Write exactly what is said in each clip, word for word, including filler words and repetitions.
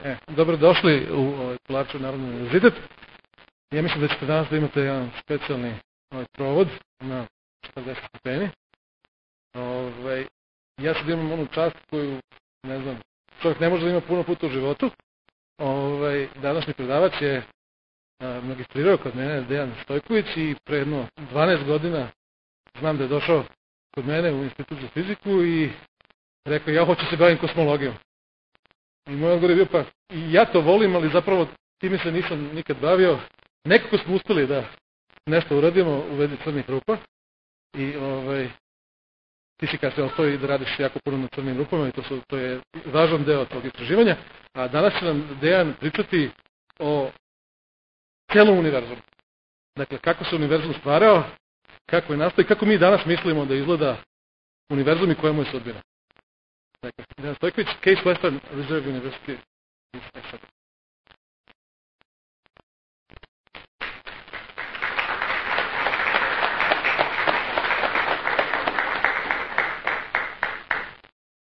E, dobrodošli u ovaj, Palaču Narodni univerzitet. Ja mislim da ćete danas da imate jedan specijalni ovaj, provod na četrdeset stepeni. Ovaj, ja sad imam onu čast koju, ne znam, čovjek ne može da ima puno puta u životu. Ovaj, današnji predavač je a, magistrirao kod mene Dejan Stojković i pre jedno dvanaest godina znam da je došao kod mene u Institut za fiziku i rekao ja hoću se bavim kosmologijom. I moj odgovor je bio pa i ja to volim, ali zapravo time se nisam nikad bavio. Nekako smo uspeli da nešto uradimo u vezi crnih rupa i ovaj, ti si kaže ostao da radiš jako puno na crnim rupama i to, su, to je važan deo tog istraživanja. A danas će nam Dejan pričati o celom univerzumu. Dakle, kako se univerzum stvarao, kako je nastao i kako mi danas mislimo da izgleda univerzum i koja mu je sudbina. Dakle, Dejan Stojković, Case Western Reserve University iz Teksasa.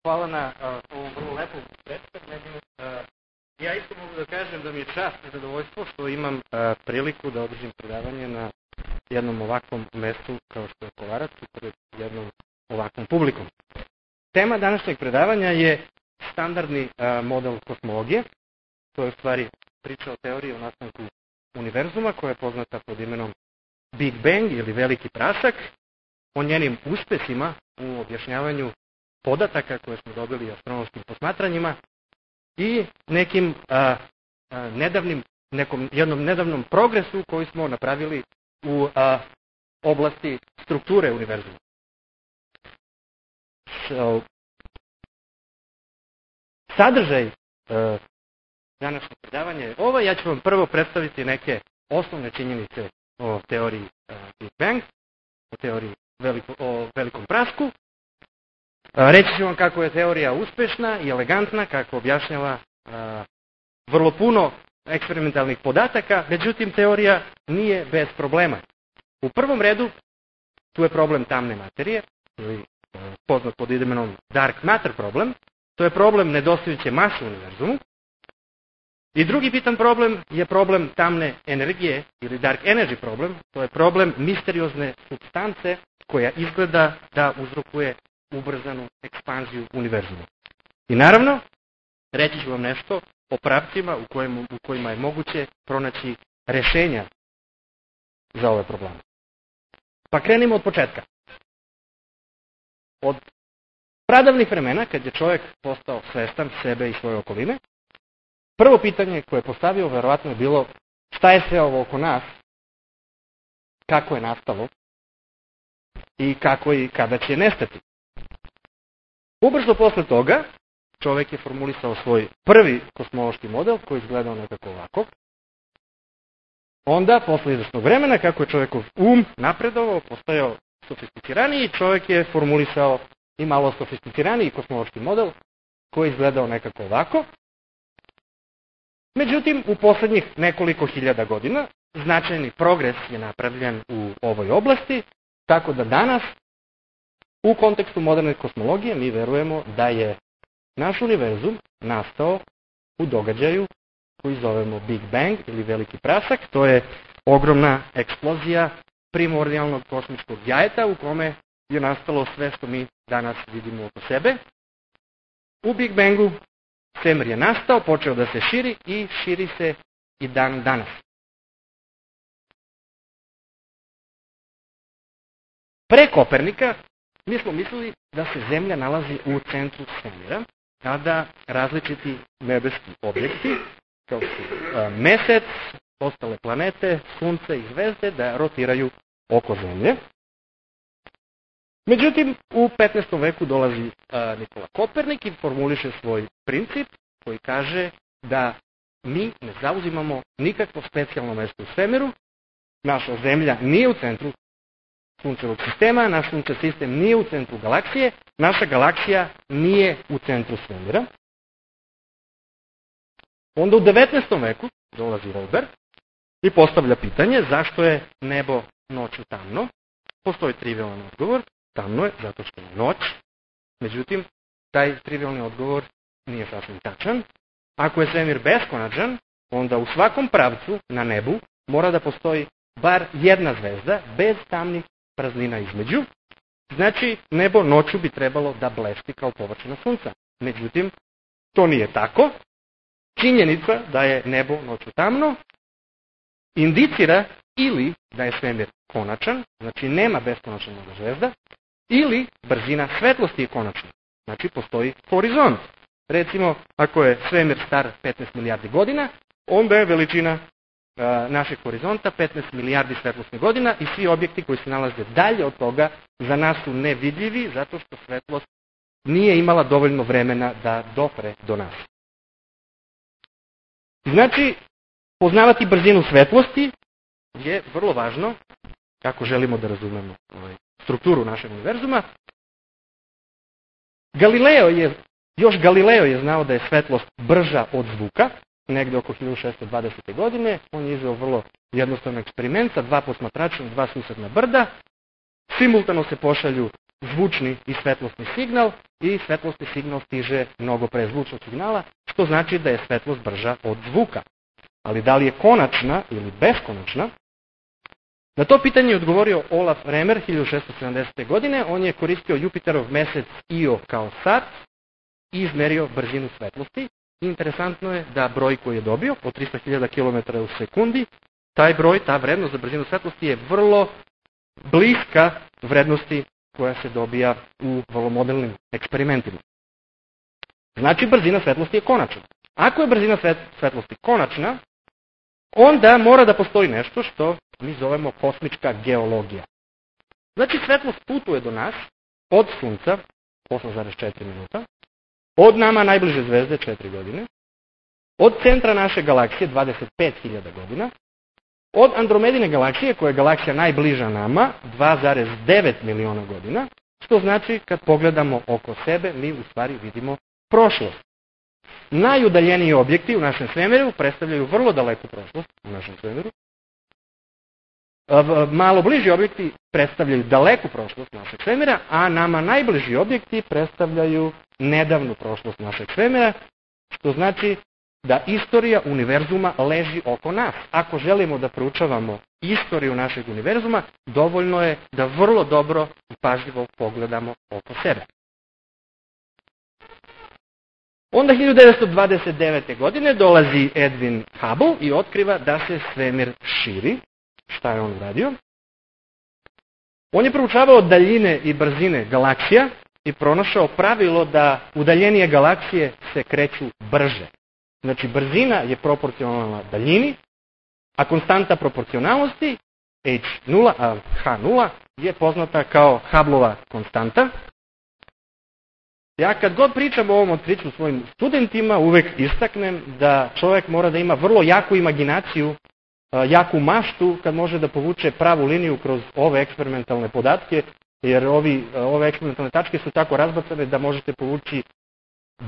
Hvala na uh, ovom vrlo lepom predstavljanju. Uh, ja isto mogu da kažem da mi je čast i zadovoljstvo što imam uh, priliku da održim predavanje na jednom ovakvom mestu kao što je Kolarac i pred jednom ovakvom publikom. Tema današnjeg predavanja je standardni uh, model kosmologije. To je u stvari priča o teoriji o nastanku univerzuma koja je poznata pod imenom Big Bang ili veliki prasak, o njenim uspesima u objašnjavanju podataka koje smo dobili astronomskim posmatranjima i nekim a, a, nedavnim, nekom, jednom nedavnom progresu koji smo napravili u a, oblasti strukture univerzuma. So, sadržaj a, današnjeg predavanja je ovo. Ja ću vam prvo predstaviti neke osnovne činjenice o teoriji a, Big Bang, o teoriji veliko, o velikom prasku. Reći ću vam kako je teorija uspešna i elegantna, kako objašnjava a, vrlo puno eksperimentalnih podataka, međutim teorija nije bez problema. U prvom redu tu je problem tamne materije, ili a, poznat pod imenom dark matter problem, to je problem nedostajuće mase u univerzumu. I drugi bitan problem je problem tamne energije ili dark energy problem, to je problem misteriozne supstance koja izgleda da uzrokuje ubrzanu ekspanziju univerzuma. I naravno, reći ću vam nešto o pravcima u, kojem, u kojima je moguće pronaći rešenja za ove probleme. Pa krenimo od početka. Od pradavnih vremena, kad je čovjek postao svestan sebe i svoje okoline, prvo pitanje koje je postavio verovatno je bilo šta je sve ovo oko nas, kako je nastalo i kako i kada će nestati. Ubrzo posle toga čovjek je formulisao svoj prvi kosmološki model koji izgledao nekako ovako. Onda, posle izvesnog vremena, kako je čovjekov um napredovao, postajao sofisticiraniji, čovjek je formulisao i malo sofisticiraniji kosmološki model koji izgledao nekako ovako. Međutim, u poslednjih nekoliko hiljada godina značajni progres je napravljen u ovoj oblasti, tako da danas u kontekstu moderne kosmologije mi verujemo da je naš univerzum nastao u događaju koji zovemo Big Bang ili veliki prasak. To je ogromna eksplozija primordijalnog kosmičkog jajeta u kome je nastalo sve što mi danas vidimo oko sebe. U Big Bangu svemir je nastao, počeo da se širi i širi se i dan danas. Pre Kopernika mi smo mislili da se Zemlja nalazi u centru svemira, a da različiti nebeski objekti, kao su a, Mesec, ostale planete, Sunce i zvezde, da rotiraju oko Zemlje. Međutim, u petnaestom veku dolazi a, Nikola Kopernik i formuliše svoj princip koji kaže da mi ne zauzimamo nikakvo specijalno mesto u svemiru, naša Zemlja nije u centru Suncevog sistema, naš sunce sistem nije u centru galaksije, naša galaksija nije u centru svemira. Onda u devetnaestom veku dolazi Rober i postavlja pitanje zašto je nebo noću tamno. Postoji trivialan odgovor, tamno je zato što je noć, međutim taj trivialni odgovor nije sasvim tačan, Ako je svemir beskonačan, onda u svakom pravcu na nebu mora da postoji bar jedna zvezda bez tamnih praznina između. Znači, nebo noću bi trebalo da blesti kao površina sunca. Međutim, to nije tako. Činjenica da je nebo noću tamno indicira ili da je svemir konačan, znači nema beskonačnog zvezda, ili brzina svetlosti je konačna, znači postoji horizont. Recimo, ako je svemir star petnaest milijardi godina, onda je veličina a, našeg horizonta petnaest milijardi svetlosnih godina i svi objekti koji se nalaze dalje od toga za nas su nevidljivi zato što svetlost nije imala dovoljno vremena da dopre do nas. Znači, poznavati brzinu svetlosti je vrlo važno kako želimo da razumemo ovaj, strukturu našeg univerzuma. Galileo je, još Galileo je znao da je svetlost brža od zvuka, negde oko hiljadu šessto dvadesete. godine. On je izveo vrlo jednostavan eksperiment sa dva posmatrača na dva susedna brda. Simultano se pošalju zvučni i svetlosni signal i svetlosni signal stiže mnogo pre zvučnog signala, što znači da je svetlost brža od zvuka. Ali da li je konačna ili beskonačna? Na to pitanje je odgovorio Olaf Remer hiljadu šessto sedamdesete. godine. On je koristio Jupiterov mesec Io kao sat i izmerio brzinu svetlosti. Interesantno je da broj koji je dobio, od trista hiljada kilometara u sekundi, taj broj, ta vrednost za brzinu svetlosti je vrlo bliska vrednosti koja se dobija u vrlo modelnim eksperimentima. Znači, brzina svetlosti je konačna. Ako je brzina svetlosti konačna, onda mora da postoji nešto što mi zovemo kosmička geologija. Znači, svetlost putuje do nas od Sunca osam zarez četiri minuta, od nama najbliže zvezde četiri godine, od centra naše galaksije dvadeset pet hiljada godina, od Andromedine galaksije, koja je galaksija najbliža nama, dva zarez devet miliona godina, što znači kad pogledamo oko sebe, mi u stvari vidimo prošlost. Najudaljeniji objekti u našem svemiru predstavljaju vrlo daleku prošlost u našem svemiru. Malo bliži objekti predstavljaju daleku prošlost našeg svemira, a nama najbliži objekti predstavljaju nedavnu prošlost našeg svemira, što znači da istorija univerzuma leži oko nas. Ako želimo da proučavamo istoriju našeg univerzuma, dovoljno je da vrlo dobro i pažljivo pogledamo oko sebe. Onda hiljadu devetsto dvadeset devete. godine dolazi Edwin Hubble i otkriva da se svemir širi. Šta je on uradio? On je proučavao daljine i brzine galaksija i pronašao pravilo da udaljenije galaksije se kreću brže. Znači, brzina je proporcionalna daljini, a konstanta proporcionalnosti H nula, a H nula je poznata kao Hubbleova konstanta. Ja kad god pričam o ovom otkriću svojim studentima, uvek istaknem da čovjek mora da ima vrlo jaku imaginaciju, jaku maštu kad može da povuče pravu liniju kroz ove eksperimentalne podatke, jer ovi, ove eksperimentalne tačke su tako razbacane da možete povući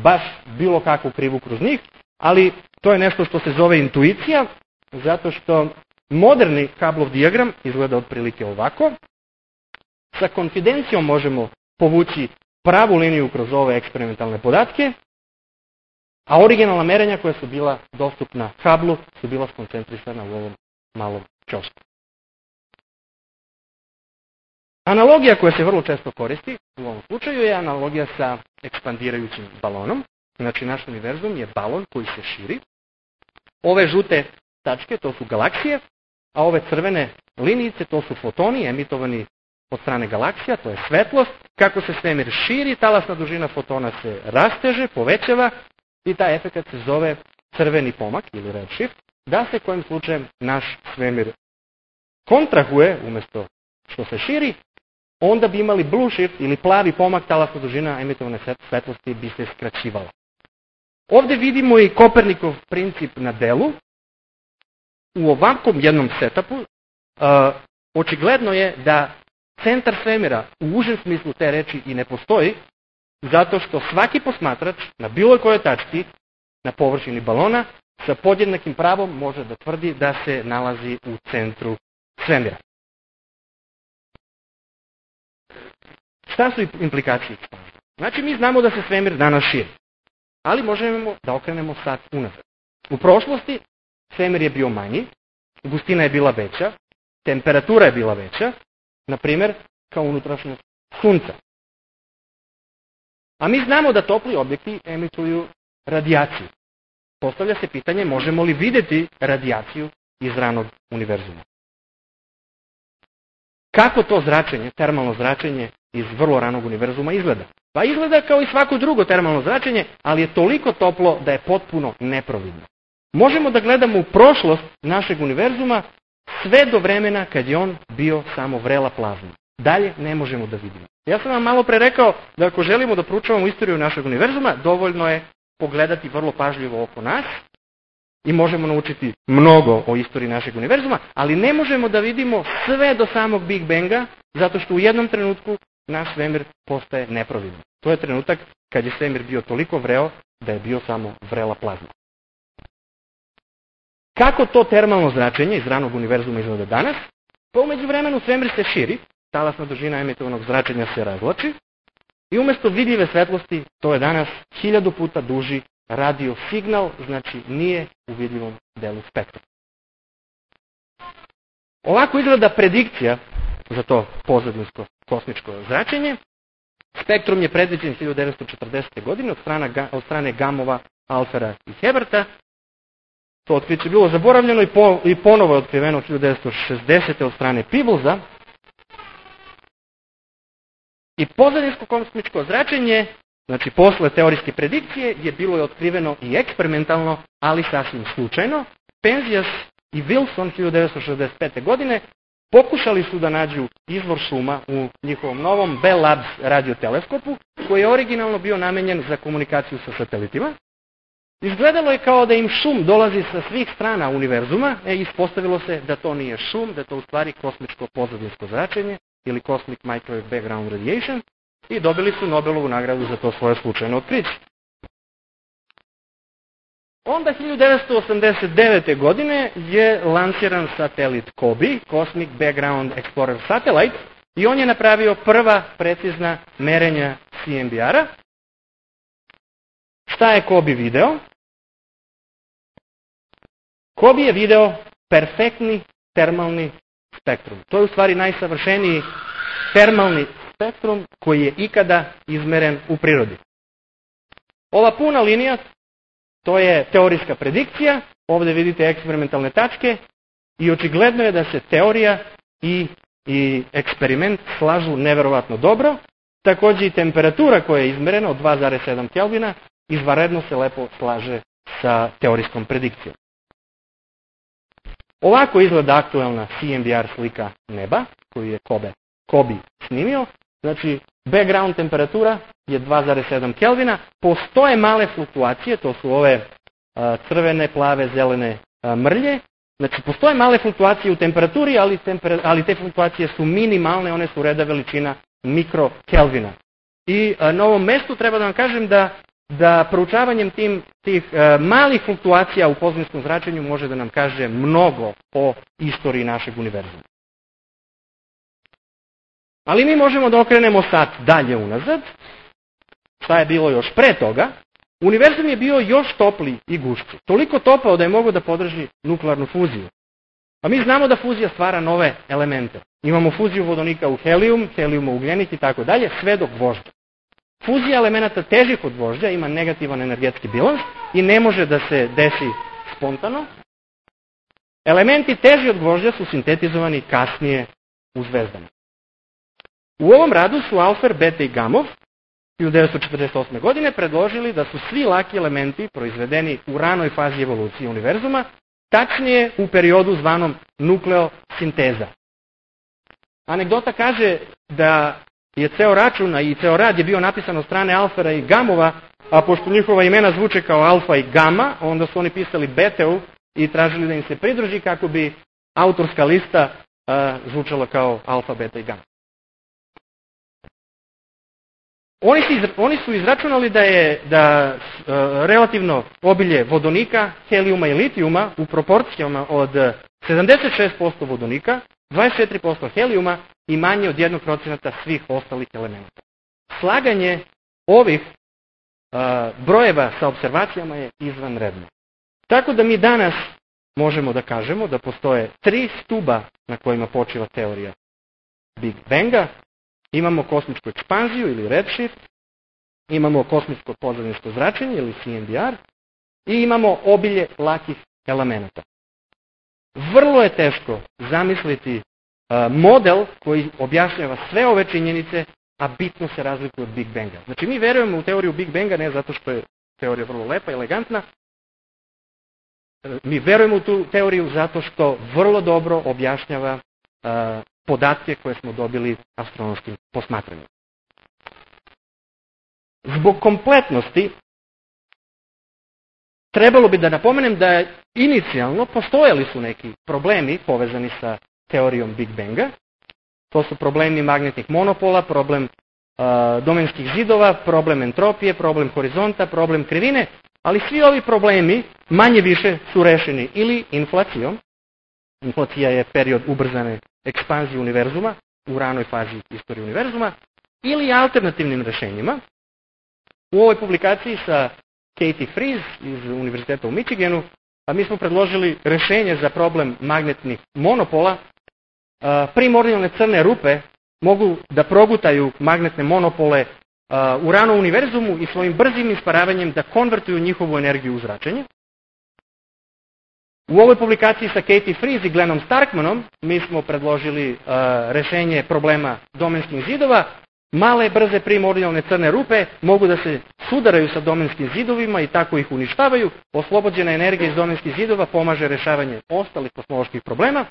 baš bilo kakvu krivu kroz njih, ali to je nešto što se zove intuicija, zato što moderni Hubbleov dijagram izgleda otprilike ovako. Sa konfidencijom možemo povući pravu liniju kroz ove eksperimentalne podatke, a originalna merenja koja su bila dostupna Hubbleu su bila skoncentrisana u ovom malom ćošku. Analogija koja se vrlo često koristi u ovom slučaju je analogija sa ekspandirajućim balonom. Znači, naš univerzum je balon koji se širi. Ove žute tačke, to su galaksije, a ove crvene linijice, to su fotoni emitovani od strane galaksija, to je svetlost. Kako se svemir širi, talasna dužina fotona se rasteže, povećava i taj efekt se zove crveni pomak ili redshift, da se kojim slučajem naš svemir kontrahuje umjesto što se širi, onda bi imali blue shift ili plavi pomak, talasna dužina emitovane svetlosti bi se skraćivala. Ovdje vidimo i Kopernikov princip na delu. U ovakvom jednom setupu uh, očigledno je da centar svemira u užem smislu te reči i ne postoji, zato što svaki posmatrač na bilo kojoj tački na površini balona sa podjednakim pravom može da tvrdi da se nalazi u centru svemira. Šta su implikacije ekspanzije? Znači, mi znamo da se svemir danas širi. ali možemo da okrenemo sat unazad. U prošlosti svemir je bio manji, gustina je bila veća, temperatura je bila veća, na primjer kao unutrašnjost Sunca. A mi znamo da topli objekti emituju radijaciju. Postavlja se pitanje možemo li vidjeti radijaciju iz ranog univerzuma. Kako to zračenje, termalno zračenje iz vrlo ranog univerzuma izgleda? Pa izgleda kao i svako drugo termalno zračenje, ali je toliko toplo da je potpuno neprovidno. Možemo da gledamo u prošlost našeg univerzuma sve do vremena kad je on bio samo vrela plazma. Dalje ne možemo da vidimo. Ja sam vam malo pre rekao da ako želimo da proučavamo istoriju našeg univerzuma, dovoljno je pogledati vrlo pažljivo oko nas i možemo naučiti mnogo o istoriji našeg univerzuma, ali ne možemo da vidimo sve do samog Big Banga, zato što u jednom trenutku naš svemir postaje neprovidan. To je trenutak kad je svemir bio toliko vreo da je bio samo vrela plazma. Kako to termalno zračenje iz ranog univerzuma izgleda danas? Pa umeđu vremenu svemir se širi, talasna dužina emitovanog zračenja se razvlači i umjesto vidljive svetlosti to je danas hiljadu puta duži radio signal, znači nije u vidljivom delu spektra. Ovako izgleda predikcija za to pozadinsko kosmičko zračenje. Spektrum je predviđen hiljadu devetsto četrdesete. godine od strane, od strane Gamova, Alfera i Heberta. To otkriće bilo zaboravljeno i, po, i ponovo je otkriveno hiljadu devetsto šezdesete. od strane Peeblesa. I pozadinsko kosmičko zračenje, znači posle teorijske predikcije, je bilo je otkriveno i eksperimentalno, ali sasvim slučajno. Penzias i Wilson hiljadu devetsto šezdeset pete. godine pokušali su da nađu izvor šuma u njihovom novom Bell Labs radioteleskopu, koji je originalno bio namenjen za komunikaciju sa satelitima. Izgledalo je kao da im šum dolazi sa svih strana univerzuma, e ispostavilo se da to nije šum, da to u stvari kosmičko pozadinsko zračenje ili Cosmic Microwave Background Radiation i dobili su Nobelovu nagradu za to svoje slučajno otkriće. Onda hiljadu devetsto osamdeset devete. godine je lansiran satelit C O B I, Cosmic Background Explorer Satellite, i on je napravio prva precizna merenja C M B R-a. Šta je C O B I video? C O B I je video perfektni termalni spektrum. To je u stvari najsavršeniji termalni spektrum koji je ikada izmeren u prirodi. Ova puna linija, to je teorijska predikcija, ovdje vidite eksperimentalne tačke i očigledno je da se teorija i, i eksperiment slažu neverovatno dobro. Također i temperatura koja je izmerena od dva zarez sedam Kelvina izvanredno se lepo slaže sa teorijskom predikcijom. Ovako izgleda aktuelna C M B R slika neba koju je C O B I snimio. Znači, background temperatura je dva zarez sedam Kelvina. Postoje male fluktuacije, to su ove a, crvene, plave, zelene a, mrlje. Znači, postoje male fluktuacije u temperaturi, ali, temper, ali te fluktuacije su minimalne, one su reda veličina mikrokelvina. I a, na ovom mestu treba da vam kažem da, da proučavanjem tim, tih a, malih fluktuacija u pozadinskom zračenju može da nam kaže mnogo o istoriji našeg univerzuma. Ali mi možemo da okrenemo sat dalje unazad. Šta je bilo još pre toga? Univerzum je bio još topliji i gušći. Toliko topao da je mogao da podrži nuklearnu fuziju. A mi znamo da fuzija stvara nove elemente. Imamo fuziju vodonika u helijum, helijum u ugljenik i tako dalje, sve do gvožđa. Fuzija elemenata težih od gvožđa ima negativan energetski bilans i ne može da se desi spontano. Elementi teži od gvožđa su sintetizovani kasnije u zvezdama. U ovom radu su Alfer, Bethe i Gamow hiljadu devetsto četrdeset osme. godine predložili da su svi laki elementi proizvedeni u ranoj fazi evolucije univerzuma, tačnije u periodu zvanom nukleosinteza. Anegdota kaže da je ceo račun i ceo rad je bio napisan od strane Alfera i Gamova, a pošto njihova imena zvuče kao alfa i gama, onda su oni pisali Betheu i tražili da im se pridruži kako bi autorska lista uh, zvučala kao alfa, beta i gama. Oni su, oni su izračunali da je da, uh, relativno obilje vodonika, helijuma i litijuma u proporcijama od sedamdeset šest posto vodonika, dvadeset četiri posto helijuma i manje od jednog procenta svih ostalih elemenata. Slaganje ovih brojeva sa observacijama je izvanredno. Tako da mi danas možemo da kažemo da postoje tri stuba na kojima počiva teorija Big Banga. Imamo kosmičku ekspanziju ili redshift, imamo kosmičko pozadinsko zračenje ili C M B R i imamo obilje lakih elemenata. Vrlo je teško zamisliti model koji objašnjava sve ove činjenice, a bitno se razlikuje od Big Banga. Znači mi verujemo u teoriju Big Banga ne zato što je teorija vrlo lepa i elegantna, mi verujemo u tu teoriju zato što vrlo dobro objašnjava uh, podatke koje smo dobili astronomskim posmatranjem. Zbog kompletnosti trebalo bi da napomenem da inicijalno postojali su neki problemi povezani sa teorijom Big Banga. To su problemi magnetnih monopola, problem uh, domenskih zidova, problem entropije, problem horizonta, problem krivine, ali svi ovi problemi manje više su rešeni ili inflacijom. Inflacija je period ubrzane ekspanzije univerzuma u ranoj fazi istorije univerzuma, ili alternativnim rešenjima. U ovoj publikaciji sa Katie Freeze iz Univerziteta u Michiganu, a mi smo predložili rešenje za problem magnetnih monopola. Primordijalne crne rupe mogu da progutaju magnetne monopole u ranom univerzumu i svojim brzim isparavanjem da konvertuju njihovu energiju u zračenje. U ovoj publikaciji sa Katie Freeze i Glennom Starkmanom mi smo predložili rešenje problema domenskih zidova. Male, brze primordijalne crne rupe mogu da se sudaraju sa domenskim zidovima i tako ih uništavaju. Oslobođena energija iz domenskih zidova pomaže rešavanje ostalih kosmoloških problema.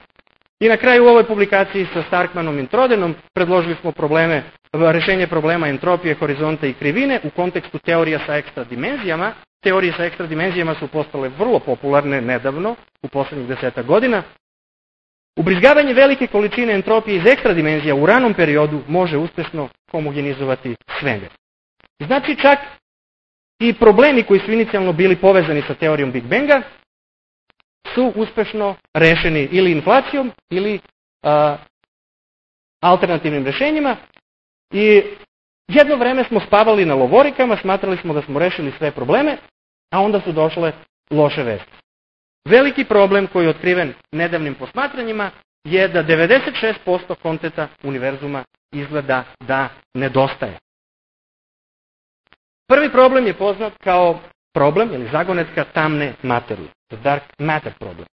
I na kraju u ovoj publikaciji sa Starkmanom i Trodenom predložili smo probleme, rešenje problema entropije, horizonta i krivine u kontekstu teorija sa ekstra dimenzijama. Teorije sa ekstra dimenzijama su postale vrlo popularne nedavno, u poslednjih deseta godina. Ubrizgavanje velike količine entropije iz ekstra dimenzija u ranom periodu može uspešno homogenizovati svemir. Znači čak i problemi koji su inicijalno bili povezani sa teorijom Big Banga su uspešno rešeni ili inflacijom ili a, alternativnim rešenjima. I jedno vreme smo spavali na lovorikama, smatrali smo da smo rešili sve probleme, a onda su došle loše vesti. Veliki problem koji je otkriven nedavnim posmatranjima je da devedeset šest posto kontenta univerzuma izgleda da nedostaje. Prvi problem je poznat kao problem ili zagonetka tamne materije, dark matter problem.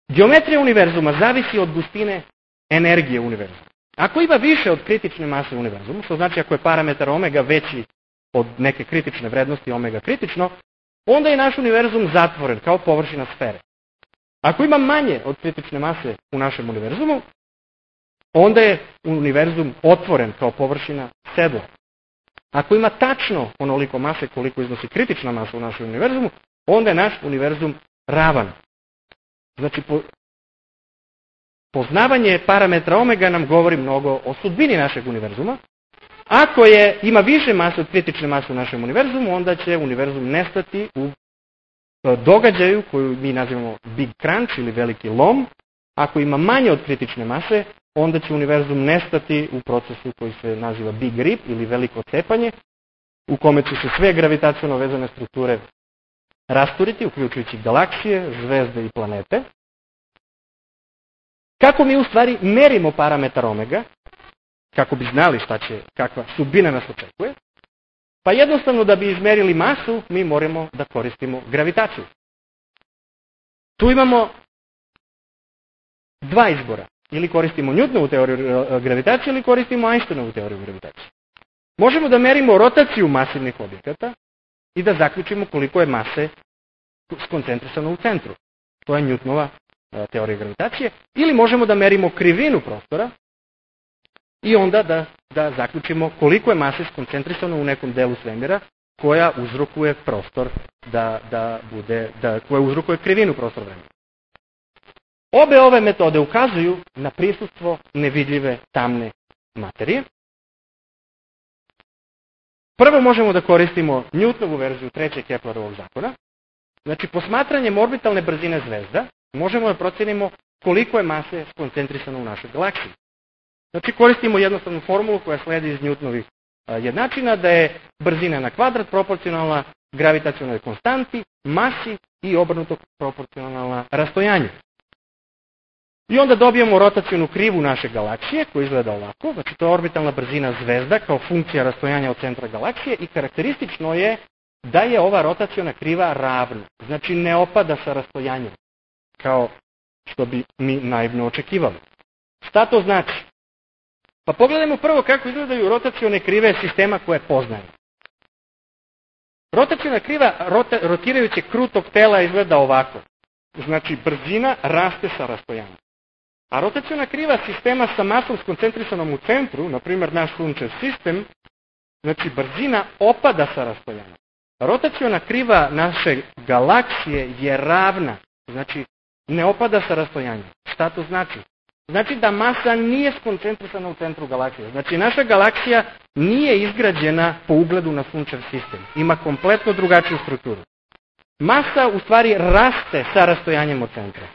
Geometrija univerzuma zavisi od gustine energije univerzuma. Ako ima više od kritične mase univerzuma, što znači ako je parametar omega veći od neke kritične vrednosti omega kritično, onda je naš univerzum zatvoren kao površina sfere. Ako ima manje od kritične mase u našem univerzumu, onda je univerzum otvoren kao površina sedla. Ako ima tačno onoliko mase koliko iznosi kritična masa u našem univerzumu, onda je naš univerzum ravan. Znači, po, poznavanje parametra omega nam govori mnogo o sudbini našeg univerzuma. Ako je, ima više mase od kritične mase u našem univerzumu, onda će univerzum nestati u događaju koju mi nazivamo Big Crunch ili veliki lom. Ako ima manje od kritične mase, onda će univerzum nestati u procesu koji se naziva Big Rip ili veliko cepanje, u kome će se sve gravitaciono vezane strukture rasturiti, uključujući galaksije, zvezde i planete. Kako mi u stvari merimo parametar omega, kako bi znali šta će, kakva sudbina nas očekuje? Pa jednostavno da bi izmerili masu, mi moramo da koristimo gravitaciju. Tu imamo dva izbora. Ili koristimo Newtonovu teoriju gravitacije ili koristimo Einsteinovu teoriju gravitacije. Možemo da merimo rotaciju masivnih objekata i da zaključimo koliko je mase skoncentrisano u centru. To je Newtonova teorija gravitacije. Ili možemo da merimo krivinu prostora i onda da, da zaključimo koliko je mase skoncentrisano u nekom delu svemira koja uzrokuje prostor da, da bude, da, koja uzrokuje krivinu prostora vremena. Obe ove metode ukazuju na prisustvo nevidljive tamne materije. Prvo možemo da koristimo Newtonovu verziju trećeg Keplerovog zakona. Znači, posmatranjem orbitalne brzine zvezda možemo da procenimo koliko je mase skoncentrisano u našoj galaksiji. Znači, koristimo jednostavnu formulu koja sledi iz Newtonovih jednačina da je brzina na kvadrat proporcionalna gravitacionoj konstanti, masi i obrnuto proporcionalna rastojanju. I onda dobijemo rotacionu krivu naše galaksije koja izgleda ovako, znači to je orbitalna brzina zvezda kao funkcija rastojanja od centra galaksije i karakteristično je da je ova rotaciona kriva ravna, znači ne opada sa rastojanjem, kao što bi mi naivno očekivali. Šta to znači? Pa pogledajmo prvo kako izgledaju rotacione krive sistema koje poznajemo. Rotaciona kriva rota, rotirajućeg krutog tela izgleda ovako. Znači brzina raste sa rastojanjem. A rotaciona kriva sistema sa masom skoncentrisanom u centru, na primjer naš sunčev sistem, znači brzina opada sa rastojanjem. Rotaciona kriva naše galaksije je ravna, znači ne opada sa rastojanjem. Šta to znači? Znači da masa nije skoncentrisana u centru galaksije. Znači naša galaksija nije izgrađena po ugledu na sunčev sistem. Ima kompletno drugačiju strukturu. Masa u stvari raste sa rastojanjem od centra.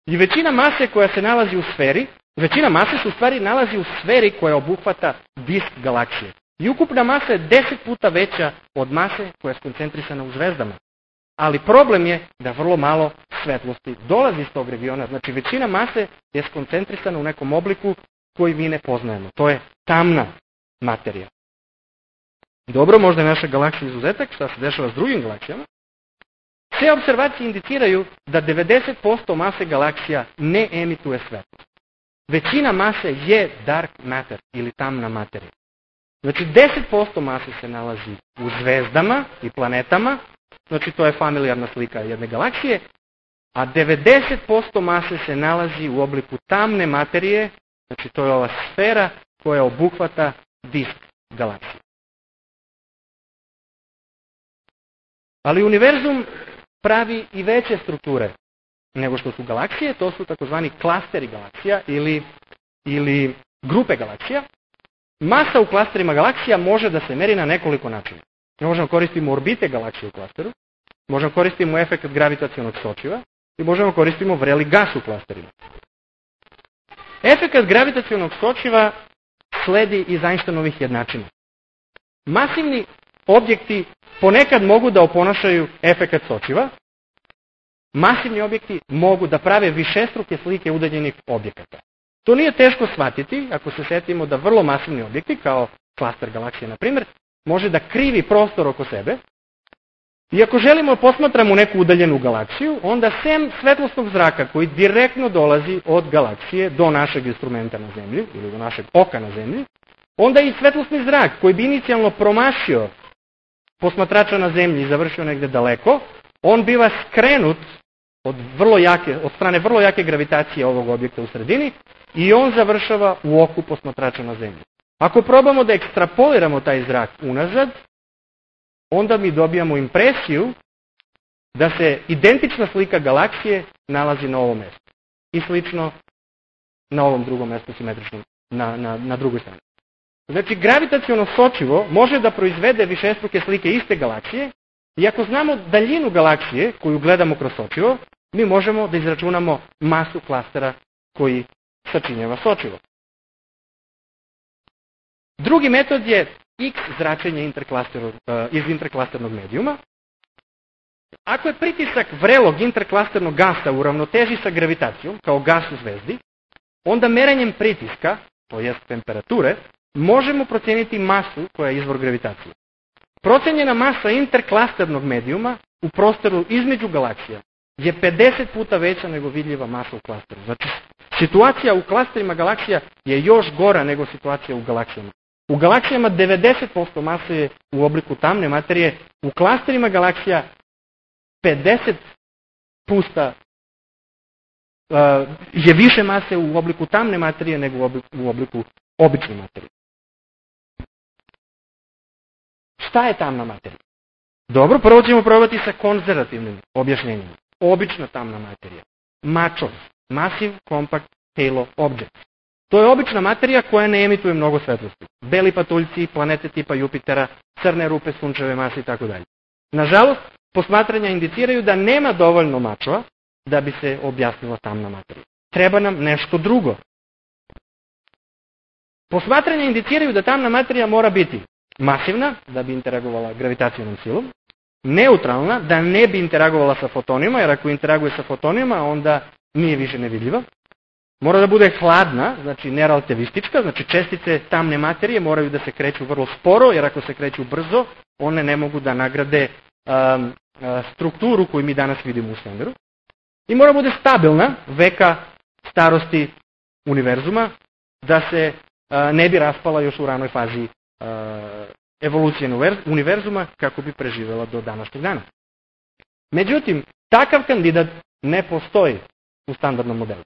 I većina mase koja se nalazi u sferi, većina mase se u stvari nalazi u sferi koja obuhvata disk galaksije. I ukupna masa je deset puta veća od mase koja je skoncentrisana u zvezdama. Ali problem je da vrlo malo svetlosti dolazi iz tog regiona. Znači većina mase je skoncentrisana u nekom obliku koji mi ne poznajemo. To je tamna materija. Dobro, možda je naša galaksija izuzetak, šta se dešava s drugim galaksijama. Sve observacije indiciraju da devedeset posto mase galaksija ne emituje svetlost. Većina mase je dark matter ili tamna materija. Znači deset posto mase se nalazi u zvezdama i planetama, znači to je familijarna slika jedne galaksije, a devedeset posto mase se nalazi u obliku tamne materije, znači to je ova sfera koja obuhvata disk galaksije. Ali univerzum pravi i veće strukture nego što su galaksije, to su takozvani klasteri galaksija ili, ili grupe galaksija. Masa u klasterima galaksija može da se meri na nekoliko načina. Možemo koristiti orbite galaksije u klasteru, možemo koristiti efekt gravitacionog sočiva i možemo koristiti vreli gas u klasterima. Efekt gravitacionog sočiva sledi iz Einsteinovih jednačina. Masivni objekti ponekad mogu da oponašaju efekt sočiva, masivni objekti mogu da prave višestruke slike udaljenih objekata. To nije teško shvatiti ako se setimo da vrlo masivni objekti, kao klaster galaksije na primjer, može da krivi prostor oko sebe. I ako želimo posmatramo neku udaljenu galaksiju, onda sem svetlosnog zraka koji direktno dolazi od galaksije do našeg instrumenta na Zemlji ili do našeg oka na Zemlji, onda i svetlosni zrak koji bi inicijalno promašio posmatrača na Zemlji i završio negde daleko, on biva skrenut od, vrlo jake, od strane vrlo jake gravitacije ovog objekta u sredini i on završava u oku posmatrača na Zemlji. Ako probamo da ekstrapoliramo taj zrak unazad, onda mi dobijamo impresiju da se identična slika galaksije nalazi na ovom mjestu. I slično na ovom drugom mjestu simetričnom, na, na, na drugoj strani. Znači, gravitaciono sočivo može da proizvede višestruke slike iste galaksije i ako znamo daljinu galaksije koju gledamo kroz sočivo, mi možemo da izračunamo masu klastera koji sačinjava sočivo. Drugi metod je X zračenje iz interklasternog medijuma. Ako je pritisak vrelog interklasternog gasa u ravnoteži sa gravitacijom, kao gas u zvezdi, onda merenjem pritiska, to jest temperature, možemo procijeniti masu koja je izvor gravitacije. Procenjena masa interklasternog medijuma u prostoru između galaksija je pedeset puta veća nego vidljiva masa u klasteru. Znači, situacija u klasterima galaksija je još gora nego situacija u galaksijama. U galaksijama devedeset posto mase je u obliku tamne materije, u klasterima galaksija pedeset puta uh, je više mase u obliku tamne materije nego u obliku, u obliku obične materije. Šta je tamna materija? Dobro, prvo ćemo probati sa konzervativnim objašnjenjem. Obična tamna materija. Mačov, Massive Compact Halo Object. To je obična materija koja ne emituje mnogo svetlosti. Beli patuljci, planete tipa Jupitera, crne rupe sunčeve mase i tako dalje. Nažalost, posmatranja indiciraju da nema dovoljno mačova da bi se objasnila tamna materija. Treba nam nešto drugo. Posmatranja indiciraju da tamna materija mora biti masivna, da bi interagovala gravitacionom silom, neutralna, da ne bi interagovala sa fotonima, jer ako interaguje sa fotonima, onda nije više nevidljiva. Mora da bude hladna, znači nerelativistička, znači čestice tamne materije moraju da se kreću vrlo sporo, jer ako se kreću brzo, one ne mogu da nagrade um, uh, strukturu koju mi danas vidimo u svemiru. I mora bude stabilna, veka starosti univerzuma, da se uh, ne bi raspala još u ranoj fazi uh, evolucije univerzuma kako bi preživjela do današnjeg dana. Međutim, takav kandidat ne postoji u standardnom modelu.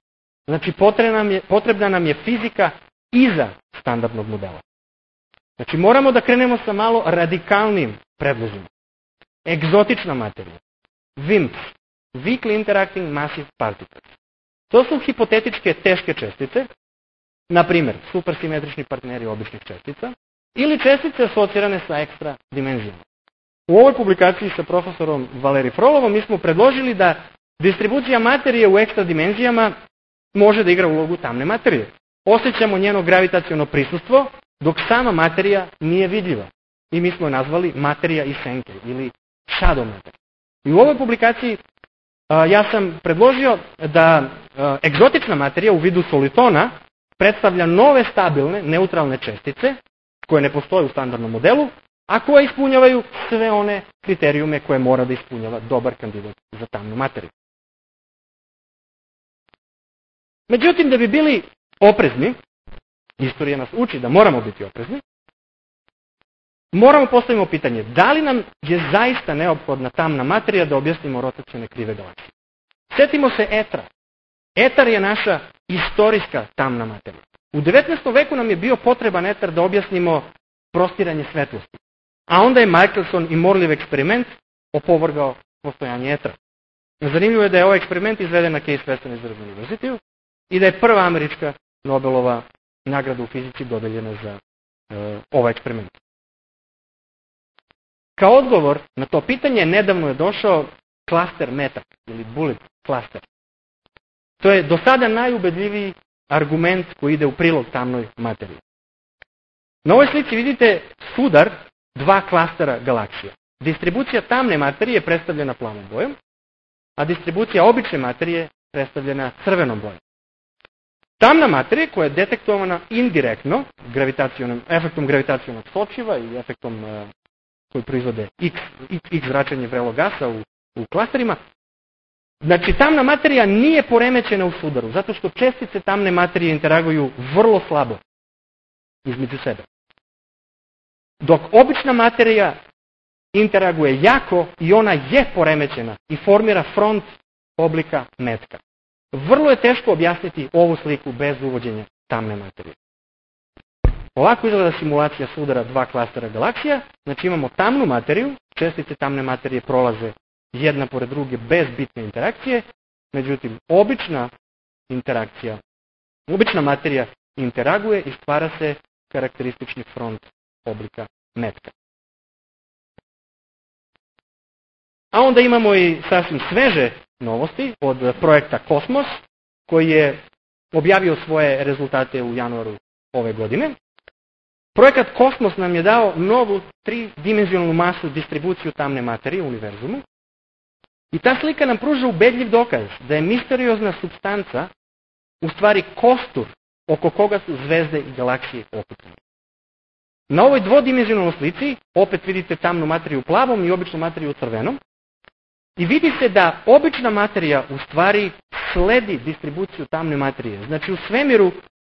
Znači, potrebna nam je, potrebna nam je fizika iza standardnog modela. Znači, moramo da krenemo sa malo radikalnim predlozima. Egzotična materija. V I M Ps. Weakly Interacting Massive Particles. To su hipotetičke teške čestice, na primjer, supersimetrični partneri običnih čestica, ili čestice asocirane sa ekstra dimenzijama. U ovoj publikaciji sa profesorom Valeri Frolovom mi smo predložili da distribucija materije u ekstra dimenzijama može da igra ulogu tamne materije. Osjećamo njeno gravitaciono prisustvo, dok sama materija nije vidljiva. I mi smo je nazvali materija iz senke ili shadow matter. I u ovoj publikaciji a, ja sam predložio da a, egzotična materija u vidu solitona predstavlja nove stabilne, neutralne čestice koje ne postoje u standardnom modelu, a koje ispunjavaju sve one kriterijume koje mora da ispunjava dobar kandidat za tamnu materiju. Međutim, da bi bili oprezni, istorija nas uči da moramo biti oprezni, moramo postavimo pitanje da li nam je zaista neophodna tamna materija da objasnimo rotacione krive galaksije. Sjetimo se etra. Etar je naša istorijska tamna materija. U devetnaestom veku nam je bio potreban etar da objasnimo prostiranje svetlosti. A onda je Michelson i Morleyjev eksperiment opovrgao postojanje etra. Zanimljivo je da je ovaj eksperiment izveden na Case Western Reserve University i da je prva američka Nobelova nagrada u fizici dodeljena za uh, ovaj eksperiment. Kao odgovor na to pitanje nedavno je došao klaster metak ili bullet klaster. To je do sada najubedljiviji argument koji ide u prilog tamnoj materiji. Na ovoj slici vidite sudar dva klastera galaksija. Distribucija tamne materije je predstavljena plavom bojom, a distribucija obične materije je predstavljena crvenom bojom. Tamna materija koja je detektovana indirektno gravitacionom, efektom gravitacionog sočiva i efektom uh, koji proizvode X, X, X zračenje vrelog gasa u, u klasterima. Znači, tamna materija nije poremećena u sudaru, zato što čestice tamne materije interaguju vrlo slabo između sebe. Dok obična materija interaguje jako i ona je poremećena i formira front oblika metka. Vrlo je teško objasniti ovu sliku bez uvođenja tamne materije. Ovako izgleda simulacija sudara dva klastera galaksija. Znači imamo tamnu materiju, čestice tamne materije prolaze jedna pored druge bez bitne interakcije, međutim obična interakcija, obična materija interaguje i stvara se karakteristični front oblika metka. A onda imamo i sasvim sveže novosti od projekta Kosmos, koji je objavio svoje rezultate u januaru ove godine. Projekat Kosmos nam je dao novu tridimenzionalnu masu distribuciju tamne materije u univerzumu i ta slika nam pruža ubedljiv dokaz da je misteriozna supstanca u stvari kostur oko koga su zvezde i galaksije okupljene. Na ovoj dvodimenzionalnoj slici opet vidite tamnu materiju u plavom i običnu materiju u crvenom. I vidi se da obična materija u stvari sledi distribuciju tamne materije. Znači u svemiru,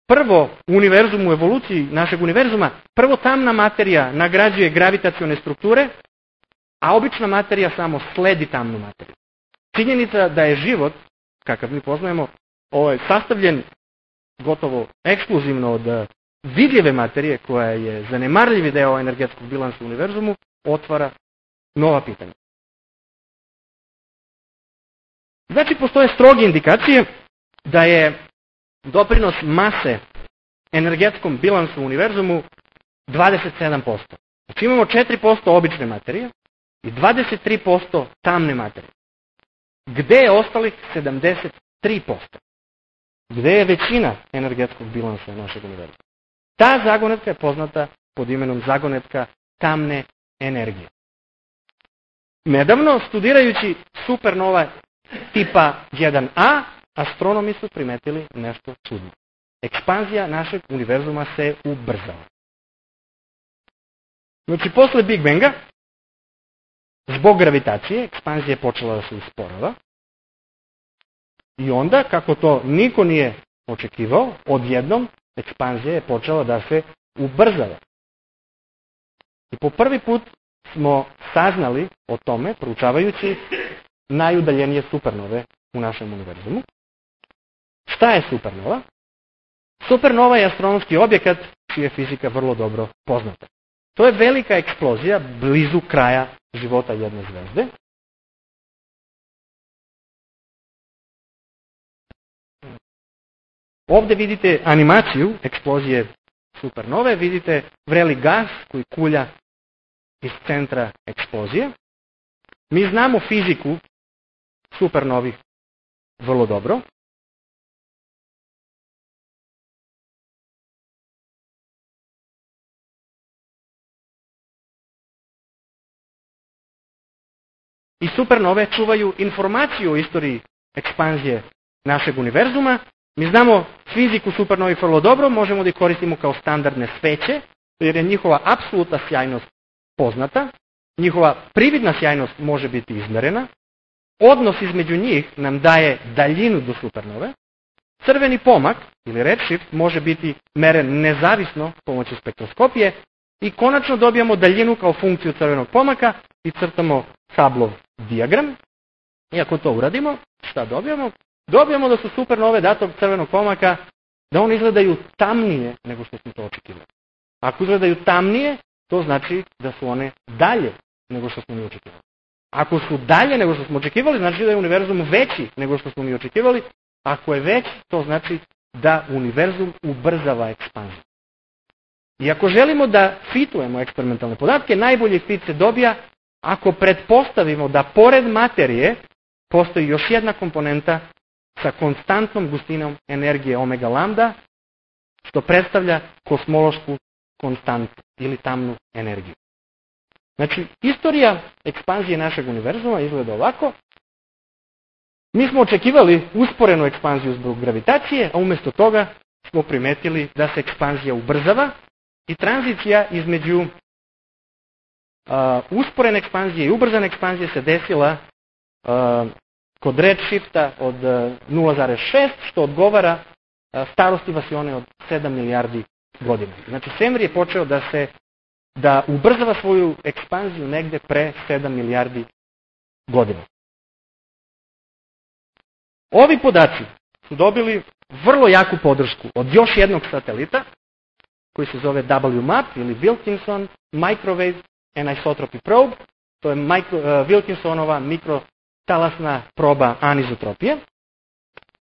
prvo u univerzumu, u evoluciji našeg univerzuma, prvo tamna materija nagrađuje gravitacione strukture, a obična materija samo sledi tamnu materiju. Činjenica da je život, kakav mi poznajemo, ovaj, sastavljen gotovo ekskluzivno od vidljive materije, koja je zanemarljivi deo energetskog bilansa u univerzumu, otvara nova pitanja. Znači, postoje stroge indikacije da je doprinos mase energetskom bilansu u univerzumu dvadeset sedam posto. Znači, imamo četiri posto obične materije i dvadeset tri posto tamne materije. Gde je ostalih sedamdeset tri posto? Gde je većina energetskog bilansa našeg univerzuma? Ta zagonetka je poznata pod imenom zagonetka tamne energije. Nedavno, studirajući supernova tipa jedan a, astronomi su primetili nešto čudno. Ekspanzija našeg univerzuma se ubrzala. Znači, posle Big Banga, zbog gravitacije, ekspanzija je počela da se usporava. I onda, kako to niko nije očekivao, odjednom ekspanzija je počela da se ubrzava. I po prvi put smo saznali o tome, proučavajući najudaljenije supernove u našem univerzumu. Šta je supernova? Supernova je astronomski objekat čija je fizika vrlo dobro poznata. To je velika eksplozija blizu kraja života jedne zvezde. Ovdje vidite animaciju eksplozije supernove, vidite vreli gas koji kulja iz centra eksplozije. Mi znamo fiziku supernovih vrlo dobro. I supernove čuvaju informaciju o istoriji ekspanzije našeg univerzuma. Mi znamo fiziku supernovih vrlo dobro, možemo da ih koristimo kao standardne sveće, jer je njihova apsolutna sjajnost poznata, njihova prividna sjajnost može biti izmerena, odnos između njih nam daje daljinu do supernove, crveni pomak ili redshift može biti meren nezavisno pomoću spektroskopije i konačno dobijamo daljinu kao funkciju crvenog pomaka i crtamo Hubbleov dijagram. I ako to uradimo, šta dobijamo? Dobijamo da su supernove datog crvenog pomaka, da oni izgledaju tamnije nego što smo to očekivali. Ako izgledaju tamnije, to znači da su one dalje nego što smo mi očekivali. Ako su dalje nego što smo očekivali, znači da je univerzum veći nego što smo mi očekivali. Ako je veći, to znači da univerzum ubrzava ekspanziju. I ako želimo da fitujemo eksperimentalne podatke, najbolji fit se dobija ako pretpostavimo da pored materije postoji još jedna komponenta sa konstantnom gustinom energije omega lambda, što predstavlja kosmološku konstantu ili tamnu energiju. Znači, istorija ekspanzije našeg univerzuma izgleda ovako. Mi smo očekivali usporenu ekspanziju zbog gravitacije, a umjesto toga smo primetili da se ekspanzija ubrzava i tranzicija između uh, usporene ekspanzije i ubrzane ekspanzije se desila uh, kod redshifta od nula zarez šest, što odgovara starosti vasione od sedam milijardi godina. Znači, svemir je počeo da se da ubrzava svoju ekspanziju negde pre sedam milijardi godina. Ovi podaci su dobili vrlo jaku podršku od još jednog satelita koji se zove W MAP ili Wilkinson Microwave Anisotropy Probe. To je micro, uh, Wilkinsonova mikrotalasna proba anizotropije.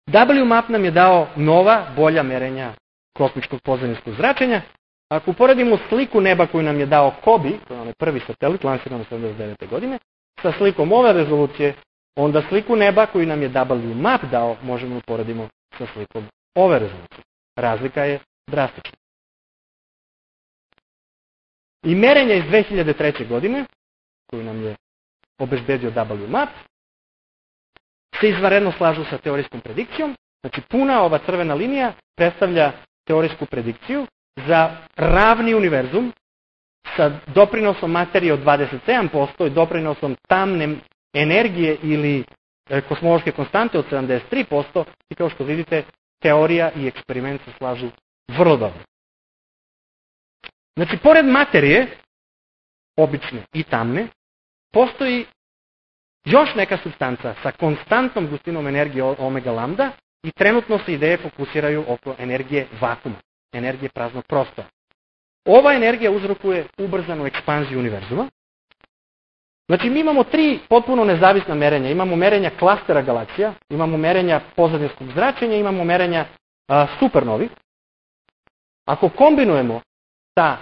W MAP nam je dao nova, bolja merenja kosmičkog pozadinskog zračenja. Ako uporedimo sliku neba koju nam je dao Kobi, to je onaj prvi satelit, lansiran sedamdeset devete godine, sa slikom ove rezolucije, onda sliku neba koju nam je W MAP dao možemo uporedimo sa slikom ove rezolucije. Razlika je drastična. I merenja iz dve hiljade treće. godine, koju nam je obezbedio W MAP, se izvanredno slažu sa teorijskom predikcijom. Znači, puna ova crvena linija predstavlja teorijsku predikciju za ravni univerzum sa doprinosom materije od dvadeset sedam posto i doprinosom tamne energije ili e, kosmološke konstante od sedamdeset tri posto i kao što vidite, teorija i eksperiment se slažu vrlo dobro. Znači, pored materije, obične i tamne, postoji još neka supstanca sa konstantnom gustinom energije omega lambda i trenutno se ideje fokusiraju oko energije vakuma, energije praznog prostora. Ova energija uzrokuje ubrzanu ekspanziju univerzuma. Znači, mi imamo tri potpuno nezavisna merenja. Imamo merenja klastera galaksija, imamo merenja pozadinskog zračenja, imamo merenja a, supernovi. Ako kombinujemo ta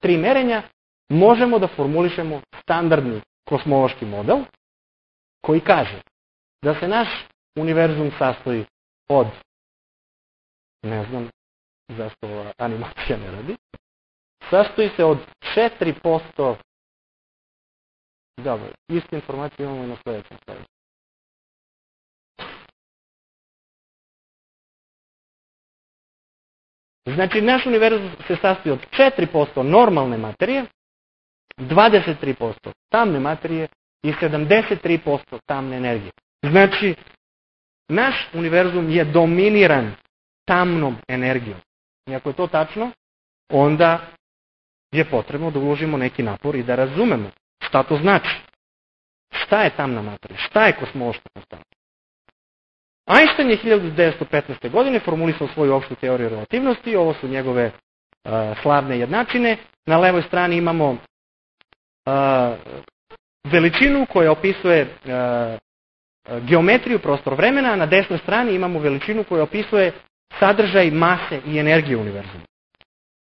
tri merenja, možemo da formulišemo standardni kosmološki model koji kaže da se naš univerzum sastoji od, ne znam, zašto ova animacija ne radi, sastoji se od četiri posto, dobro, istu informaciju imamo i na sljedećem slajdu. Znači, naš univerzum se sastoji od četiri posto normalne materije, dvadeset tri posto tamne materije i sedamdeset tri posto tamne energije. Znači, naš univerzum je dominiran tamnom energijom. I ako je to tačno, onda je potrebno da uložimo neki napor i da razumemo šta to znači. Šta je tamna materija? Šta je kosmološka konstanta? Einstein je hiljadu devetsto petnaeste. godine formulisao svoju opštu teoriju relativnosti. Ovo su njegove uh, slavne jednačine. Na levoj strani imamo uh, veličinu koja opisuje uh, geometriju prostor vremena, a na desnoj strani imamo veličinu koja opisuje sadržaj mase i energije univerzuma.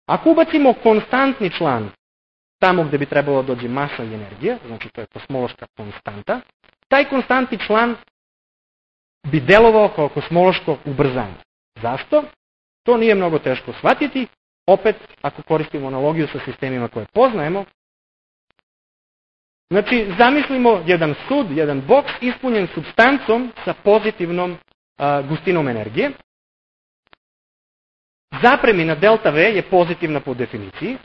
Ako ubacimo konstantni član tamo gde bi trebalo da dođe masa i energija, znači to je kosmološka konstanta, taj konstantni član bi delovao kao kosmološko ubrzanje. Zašto? To nije mnogo teško shvatiti. Opet, ako koristimo analogiju sa sistemima koje poznajemo, znači zamislimo jedan sud, jedan boks ispunjen supstancom sa pozitivnom a, gustinom energije. Zapremina delta V je pozitivna po definiciji.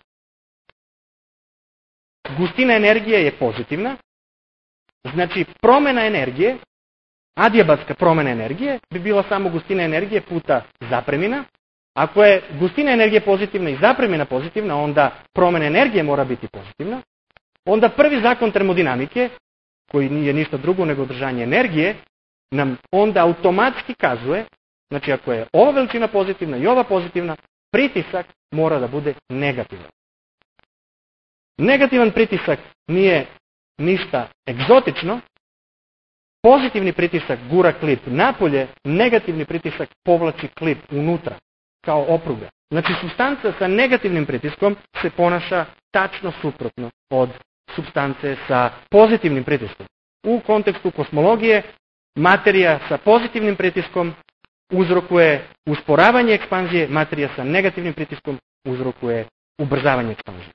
Gustina energije je pozitivna. Znači promjena energije, adiabatska promjena energije, bi bila samo gustina energije puta zapremina. Ako je gustina energije pozitivna i zapremina pozitivna, onda promjena energije mora biti pozitivna. Onda prvi zakon termodinamike, koji nije ništa drugo nego održanje energije, nam onda automatski kazuje, znači ako je ova veličina pozitivna i ova pozitivna, pritisak mora da bude negativan. Negativan pritisak nije ništa egzotično. Pozitivni pritisak gura klip napolje, negativni pritisak povlači klip unutra, kao opruga. Znači, supstanca sa negativnim pritiskom se ponaša tačno suprotno od supstance sa pozitivnim pritiskom. U kontekstu kosmologije, materija sa pozitivnim pritiskom uzrokuje usporavanje ekspanzije, materija sa negativnim pritiskom uzrokuje ubrzavanje ekspanzije.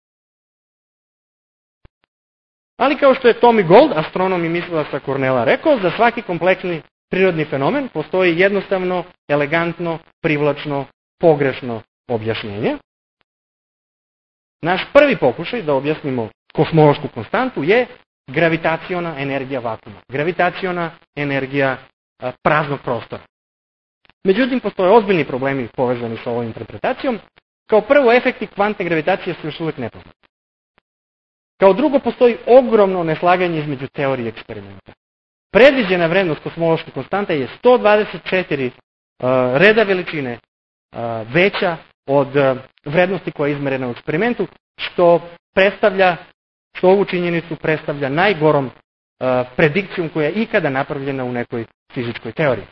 Ali kao što je Tommy Gold, astronom i mislilac sa Cornella, rekao, za svaki kompleksni prirodni fenomen postoji jednostavno, elegantno, privlačno, pogrešno objašnjenje. Naš prvi pokušaj da objasnimo kosmološku konstantu je gravitaciona energija vakuma. Gravitaciona energija a, praznog prostora. Međutim, postoje ozbiljni problemi povezani sa ovom interpretacijom. Kao prvo, efekti kvantne gravitacije su još uvijek nepoznati. Kao drugo, postoji ogromno neslaganje između teorije i eksperimenta. Predviđena vrednost kosmološke konstante je sto dvadeset četiri uh, reda veličine uh, veća od uh, vrednosti koja je izmerena u eksperimentu, što predstavlja, što ovu činjenicu predstavlja najgorom uh, predikcijom koja je ikada napravljena u nekoj fizičkoj teoriji.